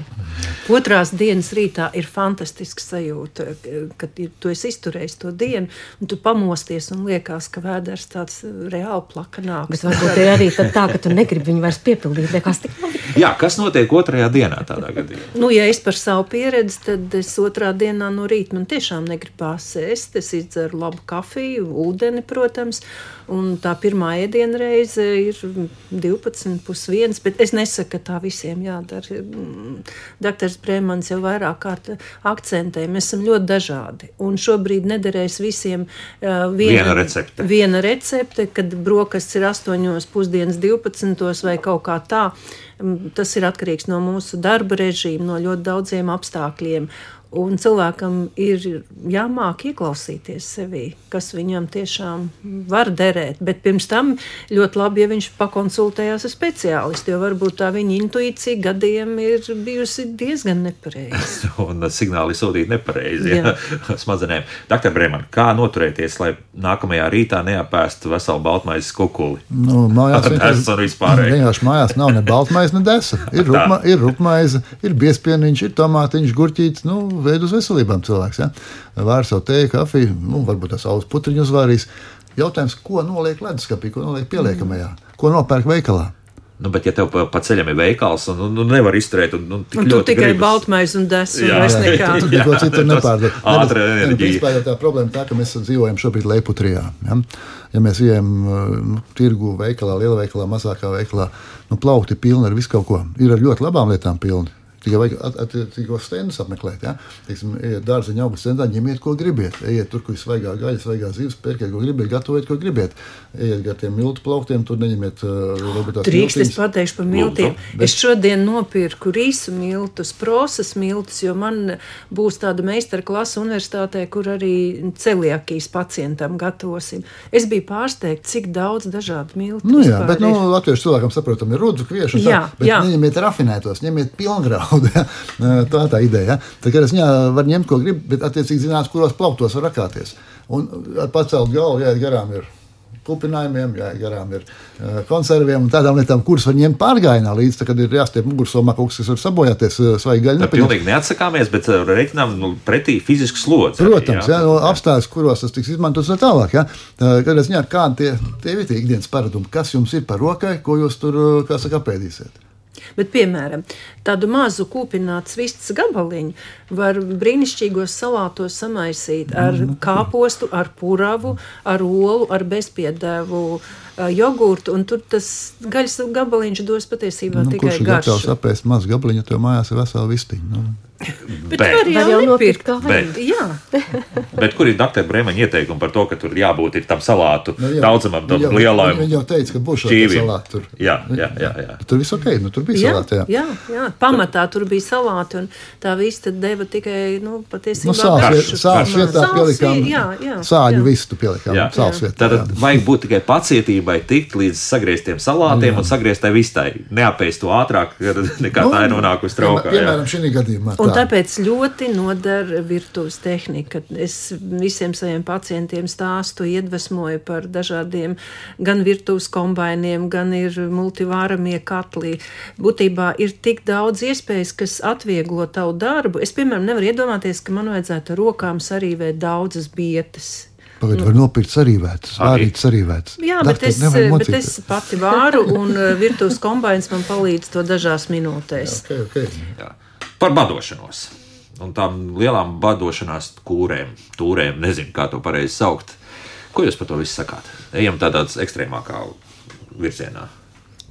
Otrās dienas rītā ir fantastisks sajūta, kad tu esi izturējis to dienu, un tu pamosties un liekas, ka vēders tāds reāli plakanāks. Bet varbūt ir arī tā, ka tu negribi viņu vairs piepildīt. Liekas, tik labi. Jā, kas notiek otrajā dienā tādā gadījumā? Ja es par savu pieredzi, tad es otrā dienā no rīta man tiešām negribās ēst. Es izdzeru labu kafiju, ūdeni, protams, un tā pirmā ēdienreize ir 12:30, bet es nesaku, ka tā visiem jādara. Doktors Brēmans jau vairāk kārt akcentē, mēs esam ļoti dažādi, un šobrīd nederēs visiem viena recepte, kad brokastis ir 8, pusdienas 12 vai kaut kā tā. Tas ir atkarīgs no mūsu darba režīma, no ļoti daudziem apstākļiem. Un cilvēkam ir jāmāk ieklausīties sevī, kas viņam tiešām var derēt. Bet pirms tam ļoti labi, ja viņš pakonsultējās ar speciālistu, jo varbūt tā viņa intuīcija gadiem ir bijusi diezgan nepareiza. Un signāli sūtīt nepareizi smadzenēm. Dr. Brēman, kā noturēties, lai nākamajā rītā neapēstu veselu baltmaizes kukuli? Mājās vienkārši mājās nav ne baltmaize, ne desa. Ir rupmaize, ir biespieniņš, ir tomātiņš, gurķītis, veidu uz veselībām cilvēks. Ja? Vēr savu teju, kafiju, varbūt tā saules putriņu uzvārīs. Jautājums, ko noliek leduskapī, ko noliek pieliekamajā, ko nopērk veikalā? Bet ja tev pa ceļam ir veikals un nevar izturēt un tik un ļoti tikai gribas. Baltmaizi un desu un vairs nekā. Tur neko citu nepārdod. Ātra enerģija. Vispār jau tā problēma tā, ka mēs dzīvojam šobrīd Leiputrijā. Ja mēs ejam tirgu veikalā, liela veikalā, mazākā veikalā, plaukti pilni ar visu kaut ko. Ir ar ļoti labām lietām pilni. Tikai vajag attiecīgos stendus apmeklēt. Ja? Teiksim, ejiet dārzeņa augus centrā, ņemiet, ko gribiet. Ejiet tur, kur ir svaigā gaļa, svaigā zivs, pērkiet, ko gribiet, gatavojiet, ko gribiet. Ejiet gar tiem miltu plauktiem, tur neņemiet Drīkst, es pateikšu par miltiem. Es šodien nopirku rīsu miltus, prosas miltus, jo man būs tāda meistara klasa universitātē, kur arī celiakijas pacientam gatavosim. Es biju pārsteigta, cik daudz dažādu miltu. Nu jā, bet latviešu cilvēkam saprotam ir rudzu, kviešu, bet neņemiet rafinētos, ņemiet pilngraudu. Ja? Tā ideja. Ja? Tā kā es var ņemt, ko grib, bet attiecīgi zinās, kuros plauktos var rakāties. Un ar pacelt galvu, jāiet garām ir kupinājumiem, jāiet garām ir konserviem un tādām lietām, kuras var ņemt pārgājienā līdz, tad, kad ir jāstiep mugursomā kaut kas, kas var sabojāties, svaigi gaļa. Tā pilnīgi neatsakāmies, bet reiķinām pretī fizisku slodzi. Protams, apstājas, kuros tas tiks izmantots no tālāk. Ja? Kad es ņēmu, kādi tie ir ikdienas paradumi, kas jums ir par rokai, ko jūs tur, kā saka, apēdīsiet. Bet, piemēram, tādu mazu kūpinātu vistas gabaliņu var brīnišķīgos salātos samaisīt ar kāpostu, ar puravu, ar olu, ar bezpiedēvu jogurtu, un tur tas gaļas gabaliņš dos patiesībā tikai garšu. Kurš ir gatavs apēst mazu gabaliņu, to mājās ir vesela vistiņa? Bet var jau nopirkt. Jā. Bet kur ir dr. Brēmaņa ieteikumi par to, ka tur jābūt ir tam salātu daudzamam, tam lielajam Viņi jau teica, ka būs šo salātu tur. Jā. Tur viss ok, tur bija salāti, jā. Pamatā tur bija salāti, un tā vista deva tikai, patiesībā garšu. Sāls vietā pielikām, sāļu vistu pielikām, sāls vietā. Tātad vajag būt tikai pacietībai tikt līdz sagrieztiem salātiem un sagrieztai vistai. Neapēst to ātrāk, nekā tā ir nonākusi traukā. Piemēram, šī gadījumā. Un tāpēc ļoti nodara virtuves tehnika. Es visiem saviem pacientiem stāstu, iedvesmoju par dažādiem gan virtuves kombainiem, gan ir multivāramie katli. Būtībā ir tik daudz iespējas, kas atvieglo tavu darbu. Es, piemēram, nevaru iedomāties, ka man vajadzētu rokām sarīvēt daudzas bietas. Pagad var nopirkt sarīvētas, vārīt sarīvētas. Jā, bet es pati vāru, un virtuves kombains man palīdz to dažās minūtēs. Okay. Jā. Par badošanos un tām lielām badošanās tūrēm, nezinu, kā to pareizi saukt. Ko jūs par to visu sakāt? Ejam tādā ekstrēmākā virzienā.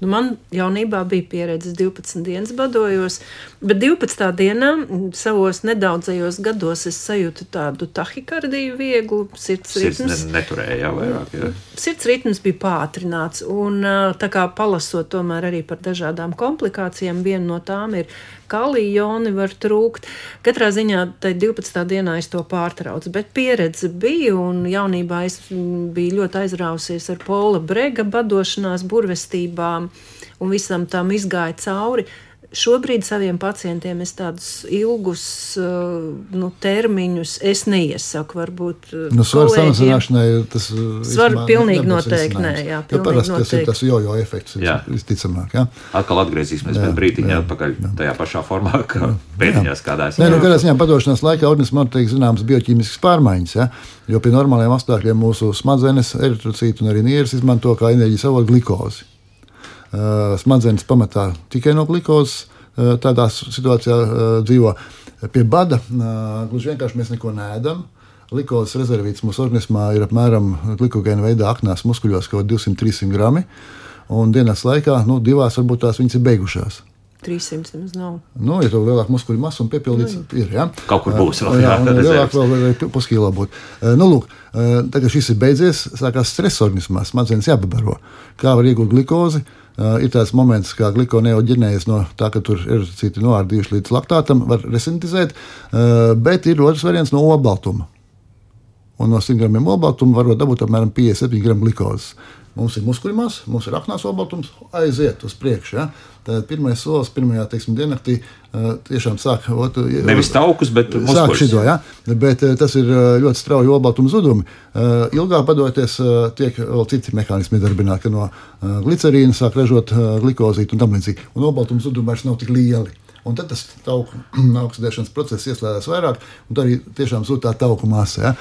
Man jaunībā bija pieredze, 12 dienas badojos, bet 12. dienā savos nedaudzajos gados es sajūtu tādu tahikardiju vieglu, sirds ritms. Neturēja vairāk, jā. Sirds ritms bija pātrināts, un tā kā palasot tomēr arī par dažādām komplikācijām, viena no tām ir kalija joni var trūkt. Katrā ziņā tai 12. dienā es to pārtraucu, bet pieredze bija, un jaunībā es biju ļoti aizrausies ar Paula Brega badošanās burvestībām, un visam tam izgāja cauri. Šobrīd saviem pacientiem es tādus ilgus termiņus es neiesaku, varbūt svaru samazināšanai tas svaru pilnīgi noteikti nē, jā, pilnīgi noteikti. Tas jojo efekts visticamāk, jā. Atkal atgriezīsimies pēc brītiņa atpakaļ tajā pašā formā, kā pēdiņās kādās. Kādā ziņā padošanās laikā organismā tiek zināmas bioķīmiskas pārmaiņas, ja? Jo pie normāliem apstākļiem mūsu smadzenes, eritrocīti un arī nieres izmanto kā enerģijas avotu glikozi. Smadzenes pamatā tikai no glikozes tādā situācijā dzīvo. Pie bada gluži vienkārši mēs neko neēdam. Glikozes rezervīts mūsu organismā ir apmēram glikogēna veidā aknās muskuļos kaut 200-300 grami, un dienas laikā, divās varbūt tās viņas ir beigušās. 300 nemaz nav. Ja tev lielāk muskuļu masa un piepildīts ir, jā. Kaut kur būs vēl. Jā, lielāk vēl puskīlā būt. Tagad šis ir beidzies, sākās stress organismā, smadzenes jāpabaro. Kā var iegūt glikozi? Ir tāds moments, kā glikoneoģenēze no tā, ka tur erocīti noārdījuši līdz laktātam, var resintizēt, bet ir otrs variants no olbaltuma. Un no 100 gramiem olbaltuma varot dabūt apmēram 57 gramu glikozes. Mums ir muskuļmās, mums ir aknās olbaltums, aiziet uz priekšu. Ja? Tad pirmais solis pirmajā diennaktī tiešām sāk nevis taukus, bet muskuļus. Sāk šito, ja? Bet tas ir ļoti strauji olbaltuma zudumi. Ilgāk padoties tiek vēl citi mehānismi darbināti, ka no glicerīna sāk ražot glikozītu un tam līdzīgi. Un olbaltuma zudumi vairs nav tik lieli. Un tad tas tauku oksidēšanas process ieslēdzas vairāk, un tā arī tiešām zūd tā tauku masa. Ja?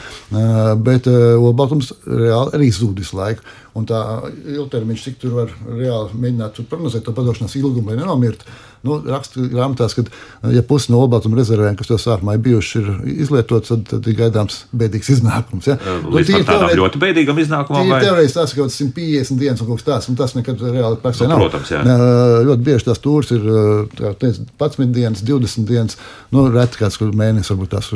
Bet olbaltums reāli arī zūd visu laiku. Un tā ilgtermiņš, cik tur var reāli mēģināt prognozēt to padošanās ilgumu, lai nenomirtu, raksta grāmatās, ka, ja pusi no olbaltuma rezervēm, kas to sākumā ir bijuši, ir izlietots, tad ir gaidāms bēdīgs iznākums. Ja? Līdz pat tādām ļoti bēdīgam iznākumam? Teorētiski tās ir kaut 150 dienas un kaut kas tāds, un tas nekad reāli praksē nav. Protams, jā. Ļoti bieži tās tūrs ir 11 dienas, 20 dienas, reti kāds, kur mēnesis varbūt tās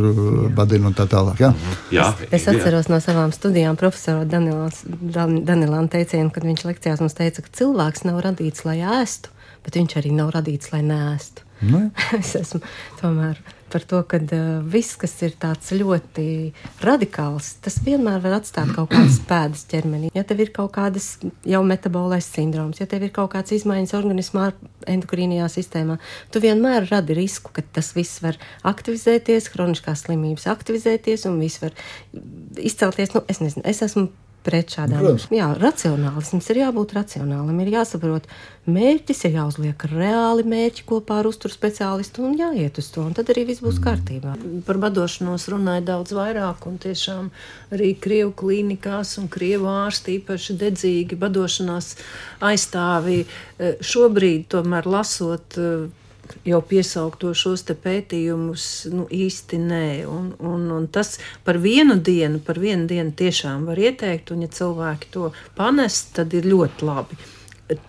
badina un tā tālāk. Ja? Jā. Es atceros no savām studijām profesoru Danilāna teicienu, kad viņš lekcijās mums teica, ka cilvēks nav radīts, lai ēstu, bet viņš arī nav radīts, lai neēstu. Es esmu tomēr par to, ka viss, kas ir tāds ļoti radikāls, tas vienmēr var atstāt kaut kādas pēdas ķermenī. Ja tev ir kaut kādas jau metabolais sindroms, ja tev ir kaut kādas izmaiņas organismā endokrīnajā sistēmā, tu vienmēr radi risku, ka tas viss var aktivizēties, hroniskās slimības aktivizēties un viss var izcelties. Es nezinu, es esmu pret šādām. Jā, racionālisms ir jābūt racionālam, ir jāsaprot mērķis, ir jāuzliek reāli mērķi kopā ar uzturu speciālistu un jāiet uz to, un tad arī viss būs kārtībā. Par badošanos runāja daudz vairāk, un tiešām arī krievu klīnikās un krievu ārsti īpaši dedzīgi badošanās aizstāvi. Šobrīd tomēr lasot jau piesaukto šos te pētījumus, īsti nē. Un tas par vienu dienu tiešām var ieteikt, un ja cilvēki to panest, tad ir ļoti labi.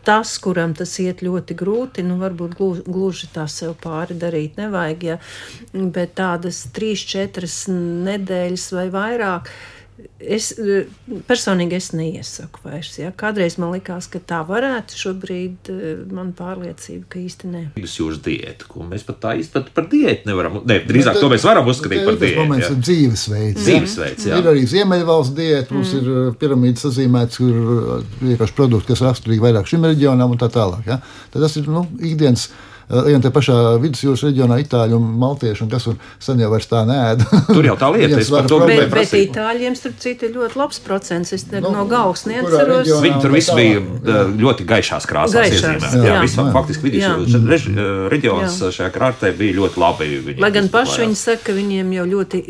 Tas, kuram tas iet ļoti grūti, varbūt gluži tā sev pāri darīt nevajag, ja, bet tādas 3-4 nedēļas vai vairāk, personīgi es neiesaku vairs. Ja. Kādreiz man likās, ka tā varētu, šobrīd man pārliecība, ka īsti nē. Vidusjūras diēta, ko mēs pat tā īsti par diētu nevaram, drīzāk to mēs varam uzskatīt par diētu. Tas moments ir dzīvesveids. Dzīvesveids, jā. Ir arī Ziemeļvalsts diēta, mums ir piramīdas sazīmēts, kur vienkārši produkti, kas raksturīgi vairāk šim reģionam un tā tālāk. Ja. Tad tas ir, ikdienas. Ejam te pašā vidusjūras reģionā itāļi un maltieši, un kas sen jau vairs tā neēd. Tur jau tā lieta, es par to gribēju prasīt. Bet itāļiem, starp citu, ir ļoti labs procents. Es no galvas neatceros. Viņi tur visi bija ļoti gaišās krāsās iezīmēti. Jā, visam faktiski vidusjūras reģions šajā krārtē bija ļoti labi. Lai gan paši viņi saka, ka viņiem jau ļoti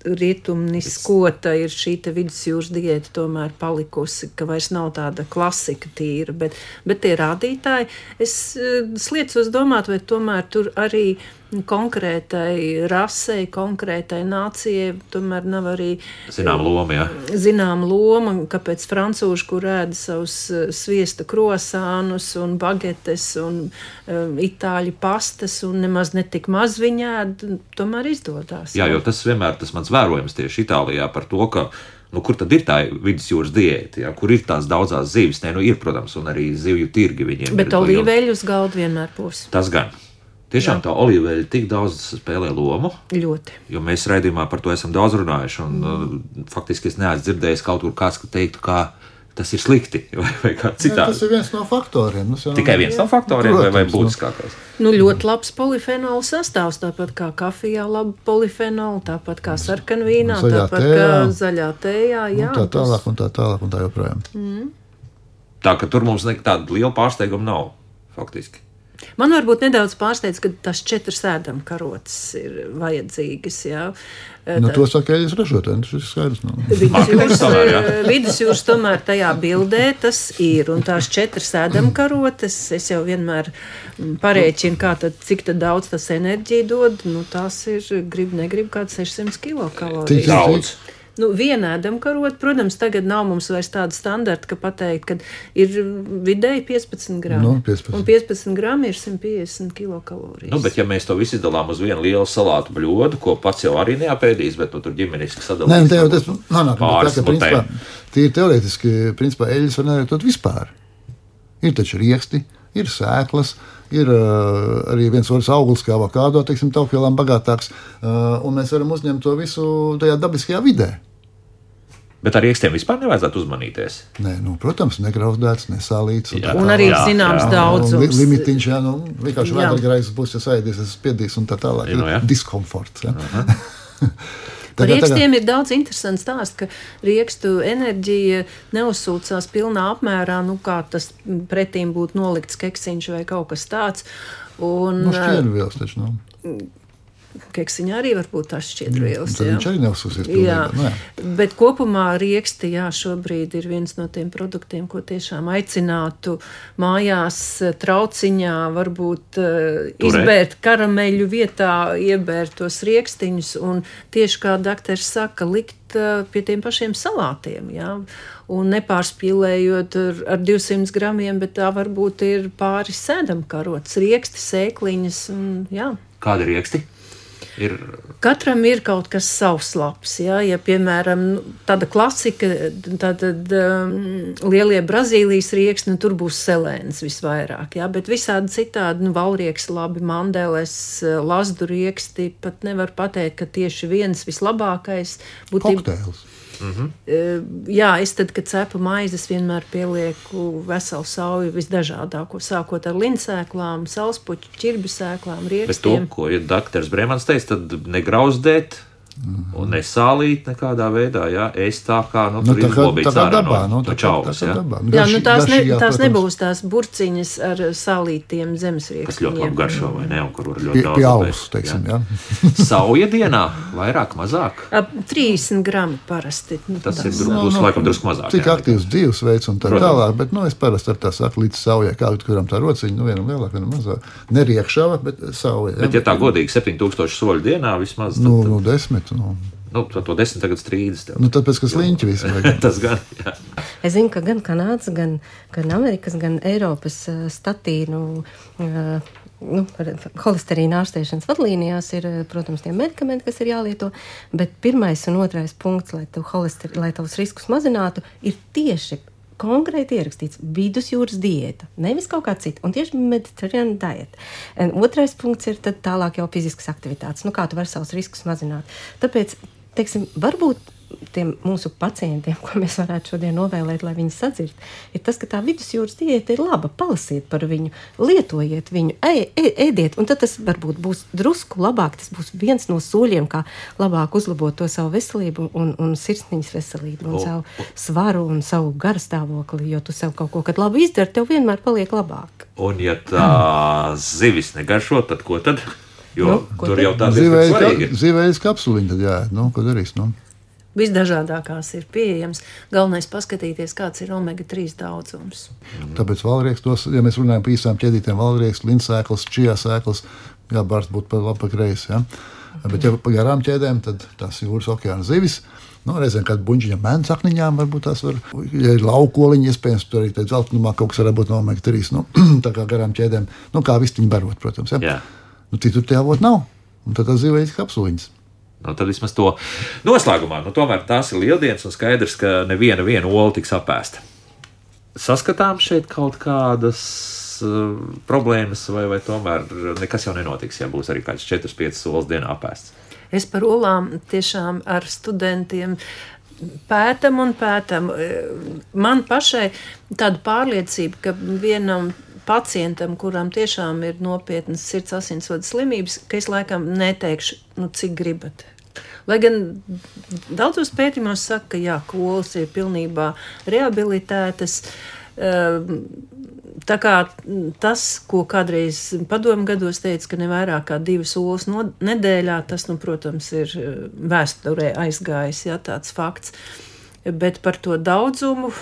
rietumniskota ir šī vidusjūras diēta tomēr palikusi, ka vairs nav tāda klasika tīra, bet tie rādītāji, es sliecos domāt, vai tomēr tur arī konkrētai rasei, konkrētai nācijai tomēr nav arī zinām loma, jā. Zinām loma, kāpēc francūži, kur ēda savus sviesta krosānus un bagetes un itāļu pastas un nemaz netik maz viņi ēd, tomēr izdodās. Jā, jo tas vienmēr tas mans vērojums tieši Itālijā par to, ka kur tad ir tā vidusjūras diēta, ja? Kur ir tās daudzās zivis? Ir, protams, un arī zivju tirgi viņiem. Bet olīveļu uz galdu vienmēr būs. Tas gan. Tiešām tā olīveļa tik daudz spēlē lomu. Ļoti. Jo mēs raidījumā par to esam daudz runājuši, un faktiski es neesmu dzirdējis kaut kur kāds, ka teiktu, kā tas ir slikti, vai kā citādi. Tas ir viens no faktoriem. Tikai viens no faktoriem, vai būtiskākais? Ļoti labs polifenolu sastāvs, tāpat kā kafijā laba polifenolu, tāpat kā sarkanvīnā, tāpat kā zaļā tējā. Jā, un tā tālāk un tā joprojām. Tā, ka tur mums tāda liela pārsteiguma nav, faktiski. Man varbūt nedaudz pārsteidz, ka tās 4 ēdamkarotes ir vajadzīgas, jā. To saka eļas ražotāji, tas ir skaidrs. Vidusjūras tomēr tajā bildē tas ir, un tās 4 ēdamkarotes, es jau vienmēr parēķinu, cik tad daudz tas enerģija dod, tās ir, negrib kāds 600 kilokalorijas. Daudz. Viena ēdamkarota, protams, tagad nav mums vairs tāda standarta, ka pateikt, ka ir vidēji 15 grami. 15. Un 15 grami ir 150 kilokalorijas. Bet ja mēs to visu izdalām uz vienu lielu salātu bļodu, ko pats jau arī neapēdīs, bet tur ģimeniski sadalīs. Nē, tas pāris mutēm. Tīri teorētiski, principā, eļas var nerietot vispār. Ir taču rieksti, ir sēklas, ir arī viens otrs auglis, kā avokādo, taupvielām bagātāks, un mēs varam uzņemt to visu tajā dabiskajā vidē. Bet ar riekstiem vispār nevajadzētu uzmanīties? Nē, protams, negrauzdēts, nesālīts. Un arī zināms daudzums. Limitiņš, vienkārši vēdergarais būs, ja saēdies, es spiedīs un tā tālāk. Diskomforts. Par riekstiem ir daudz interesants stāsts, ka riekstu enerģija neuzsūcās pilnā apmērā, kā tas pretīm būtu nolikts keksiņš vai kaut kas tāds. Un, šķienvielas taču nav. keksiņā arī var būt šķiedrvielas. Tad viņš arī neuzsūsies pilnībā. Bet kopumā rieksti, šobrīd ir viens no tiem produktiem, ko tiešām aicinātu mājās trauciņā, varbūt izbērt karameļu vietā, iebērt tos riekstiņus un tieši kā dakteris saka, likt pie tiem pašiem salātiem, un nepārspīlējot ar 200 gramiem, bet tā varbūt ir pāris sēdamkarots, rieksti, sēkliņas, Kādi rieksti? Katram ir kaut kas savs labs, ja piemēram tāda klasika, tad lielie Brazīlijas rieksti, tur būs selēns visvairāk, bet visādi citādi, valrieksti labi, mandeles, lazdu rieksti, pat nevar pateikt, ka tieši viens vislabākais būtu. Kokteils. Es tad, kad cepu maizes, vienmēr pielieku veselu sauju visdažādāko, sākot ar linsēklām, salspuķu, ķirbju sēklām, riekstiem. Bet to, ko dakteris Bremans teica, tad negrauzdēt un nesālīt nekādā veidā, es tā kā, tur izlobīts ārā no čauvas, tās nebūs tās burciņas ar sālītiem zemesriekstiņiem. Kas ļoti labi garšo, vai ne, un kur var ļoti daudz. Pie alus, teiksim, Sauja dienā vairāk, mazāk? 30 grami parasti. Tas ir laikam drusku mazāk. Cik aktīvs dzīvesveids un tā tālāk, bet, es parasti ar tā saku līdz saujai, kuram tā rociņa, vienam lielāk, vienam mazāk. Neriekšava, bet sauja. Bet, ja tā godīgi 7000 soļu dienā vismaz, tad 10. To 10 tagad strīdas. Tāpēc, ka sliņķi visi vajag. Tas gan, Es zinu, ka gan Kanādas, gan Amerikas, gan Eiropas statīnu holesterīna ārstēšanas vadlīnijās ir, protams, tie medikamenti, kas ir jālieto, bet pirmais un otrais punkts, lai tavus riskus mazinātu, ir tieši konkrēti ierakstīts vidusjūras diēta, nevis kaut kā cita, un tieši Mediterranean diet. Otrais punkts ir tad tālāk jau fiziskas aktivitātes, kā tu vari savus riskus mazināt. Tāpēc, teiksim, varbūt tiem mūsu pacientiem, ko mēs varētu šodien novēlēt, lai viņi sadzird, ir tas, ka tā vidusjūras diēta ir laba, palasiet par viņu, lietojiet viņu, ēdiet, un tad tas varbūt būs drusku labāk, tas būs viens no soļiem, kā labāk uzlabot to savu veselību un sirsniņas veselību, un savu svaru un savu garstāvokli, jo tu sev kaut ko, kad labi izdari, tev vienmēr paliek labāk. Un ja tā zivis negaršo, tad ko tad? Jo tur jau tā svarīgi ir. Zivējas kapsuliņa tad jāiet, ko darīs, Visdažādākās ir pieejams. Galvenais paskatīties, kāds ir omega-3 daudzums. Tāpēc valrieksts, ja mēs runājam par īstām ķēdītēm, valrieksts, linsēklas, čijā sēklas, bārst būtu pa labi pa kreisi. Bet ja pa garām ķēdēm, tad tās jūras okeāna zivis, reizēm kāda buņģiņa mēnsakniņām varbūt tās var, ja ir laukoliņi, iespējams, tur arī dzeltenumā kaut kas var būt no omega-3, tā kā garām ķēdēm, kā vistiņi barot, protams. Citur tie avot nav, un tad tā zivējas kapsuliņas. Tad vismaz to noslēgumā. Tomēr tās ir lieldienas un skaidrs, ka neviena ola tiks apēsta. Saskatām šeit kaut kādas problēmas vai tomēr nekas jau nenotiks, ja būs arī kāds 4-5 olas dienā apēsts? Es par olām tiešām ar studentiem pētam. Man pašai tāda pārliecība, ka vienam pacientam, kuram tiešām ir nopietnas sirds asinsvadu slimības, ka es laikam neteikšu, cik gribat. Lai gan daudzos pētījumos saka, ka olas ir pilnībā rehabilitētas. Tā kā tas, ko kādreiz padomu gados teica, ka ne vairāk kā 2 olas nedēļā, tas, protams, ir vēsturē aizgājis, tāds fakts. Bet par to daudzumu,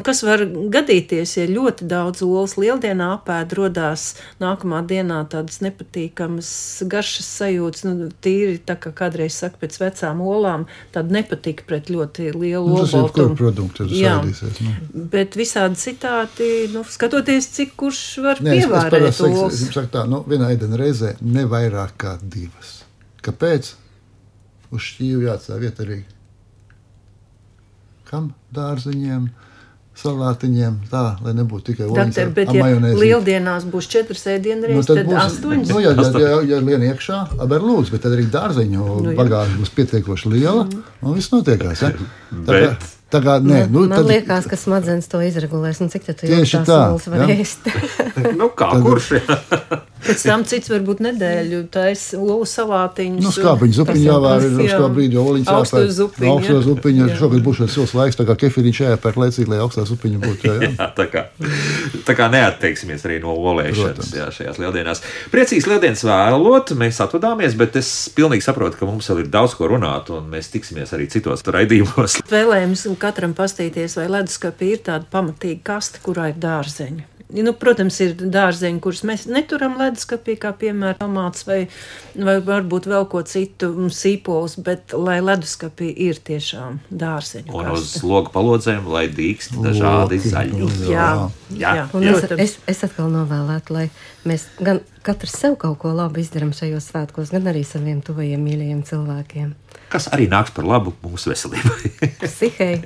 kas var gadīties, ja ļoti daudz olas lieldienā apēd, rodās nākamā dienā tādas nepatīkamas garšas sajūtas, tīri tā kā kādreiz saka pēc vecām olām, tāda nepatika pret ļoti lielu olbaltumu. Produktu sēdīsies. Bet visādi citādi, skatoties, cik kurš var pievērēt olas. Es saku tā, vienā ēdiena reizē ne vairāk kā 2. Kāpēc? Uz šķīvu jāatstāj vietarīgi. Kam? Dārziņiem, salātiņiem, tā, lai nebūtu tikai olas ar majonēzi. Bet ja lieldienās būs 4 ēdienreiz, tad 8? Ja lien iekšā, aber lūdzu, bet tad arī dārziņu bagāža būs pietiekoši liela, un viss notiekās. Man liekas, ka smadzenes to izregulēs, cik tad tu jau tās olas var ēst. Kurš? Pēc tam cits varbūt nedēļu taisa olu salātiņus. Nu, skāpiņu zupiņu jāvēr ir uz to brīdi, jo oliņas augsto zupiņu. Augsto zupiņu. Šogad būs šis silts laiks, tā kā kefīriņš jāpērk laicīgi, lai augstā zupiņa būtu. Jā, tā kā neatteiksimies arī no olēšanas šajās lieldienās. Priecīgs lieldienas vēlot, mēs atvadāmies, bet es pilnīgi saprotu, ka mums vēl ir daudz ko runāt, un mēs tiksimies arī citos raidījumos. Vēlējums katram pastīties, vai leduskapī ir tāda pamatīga kaste, kurā ir dārzeņi. Nu, protams, ir dārzeņi, kurus mēs neturam leduskapī, kā piemēram tomāts vai varbūt vēl ko citu sīpolus, bet lai leduskapī ir tiešām dārzeņu Un kaste. uz logu palodzēm, lai dīkst dažādi zaļi. Jā. Es atkal novēlētu, lai mēs gan katrs sev kaut ko labu izdaram šajos svētkos, gan arī saviem tuvajiem mīļajiem cilvēkiem. Kas arī nāks par labu mūsu veselībai. Psihei,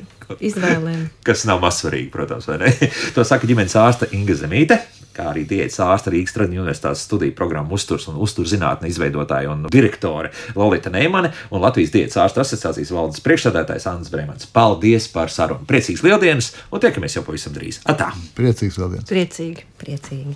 izvēlēm. Kas nav mazsvarīgi, protams, vai ne? To saka ģimenes ārste Inga Zemīte, kā arī diētas ārste Rīgas Tradiņu universitātes studiju programmu uzturs un uzturzinātne izveidotāja un direktore Lolita Neimane un Latvijas diētas ārstu asociācijas valdes priekšsēdētājs Andris Breimans. Paldies par sarunu! Priecīgs lieldienas un tiekamies jau pavisam drīz. Atā! Priecīgs lieldienas! Priecīgi. Priecīgi.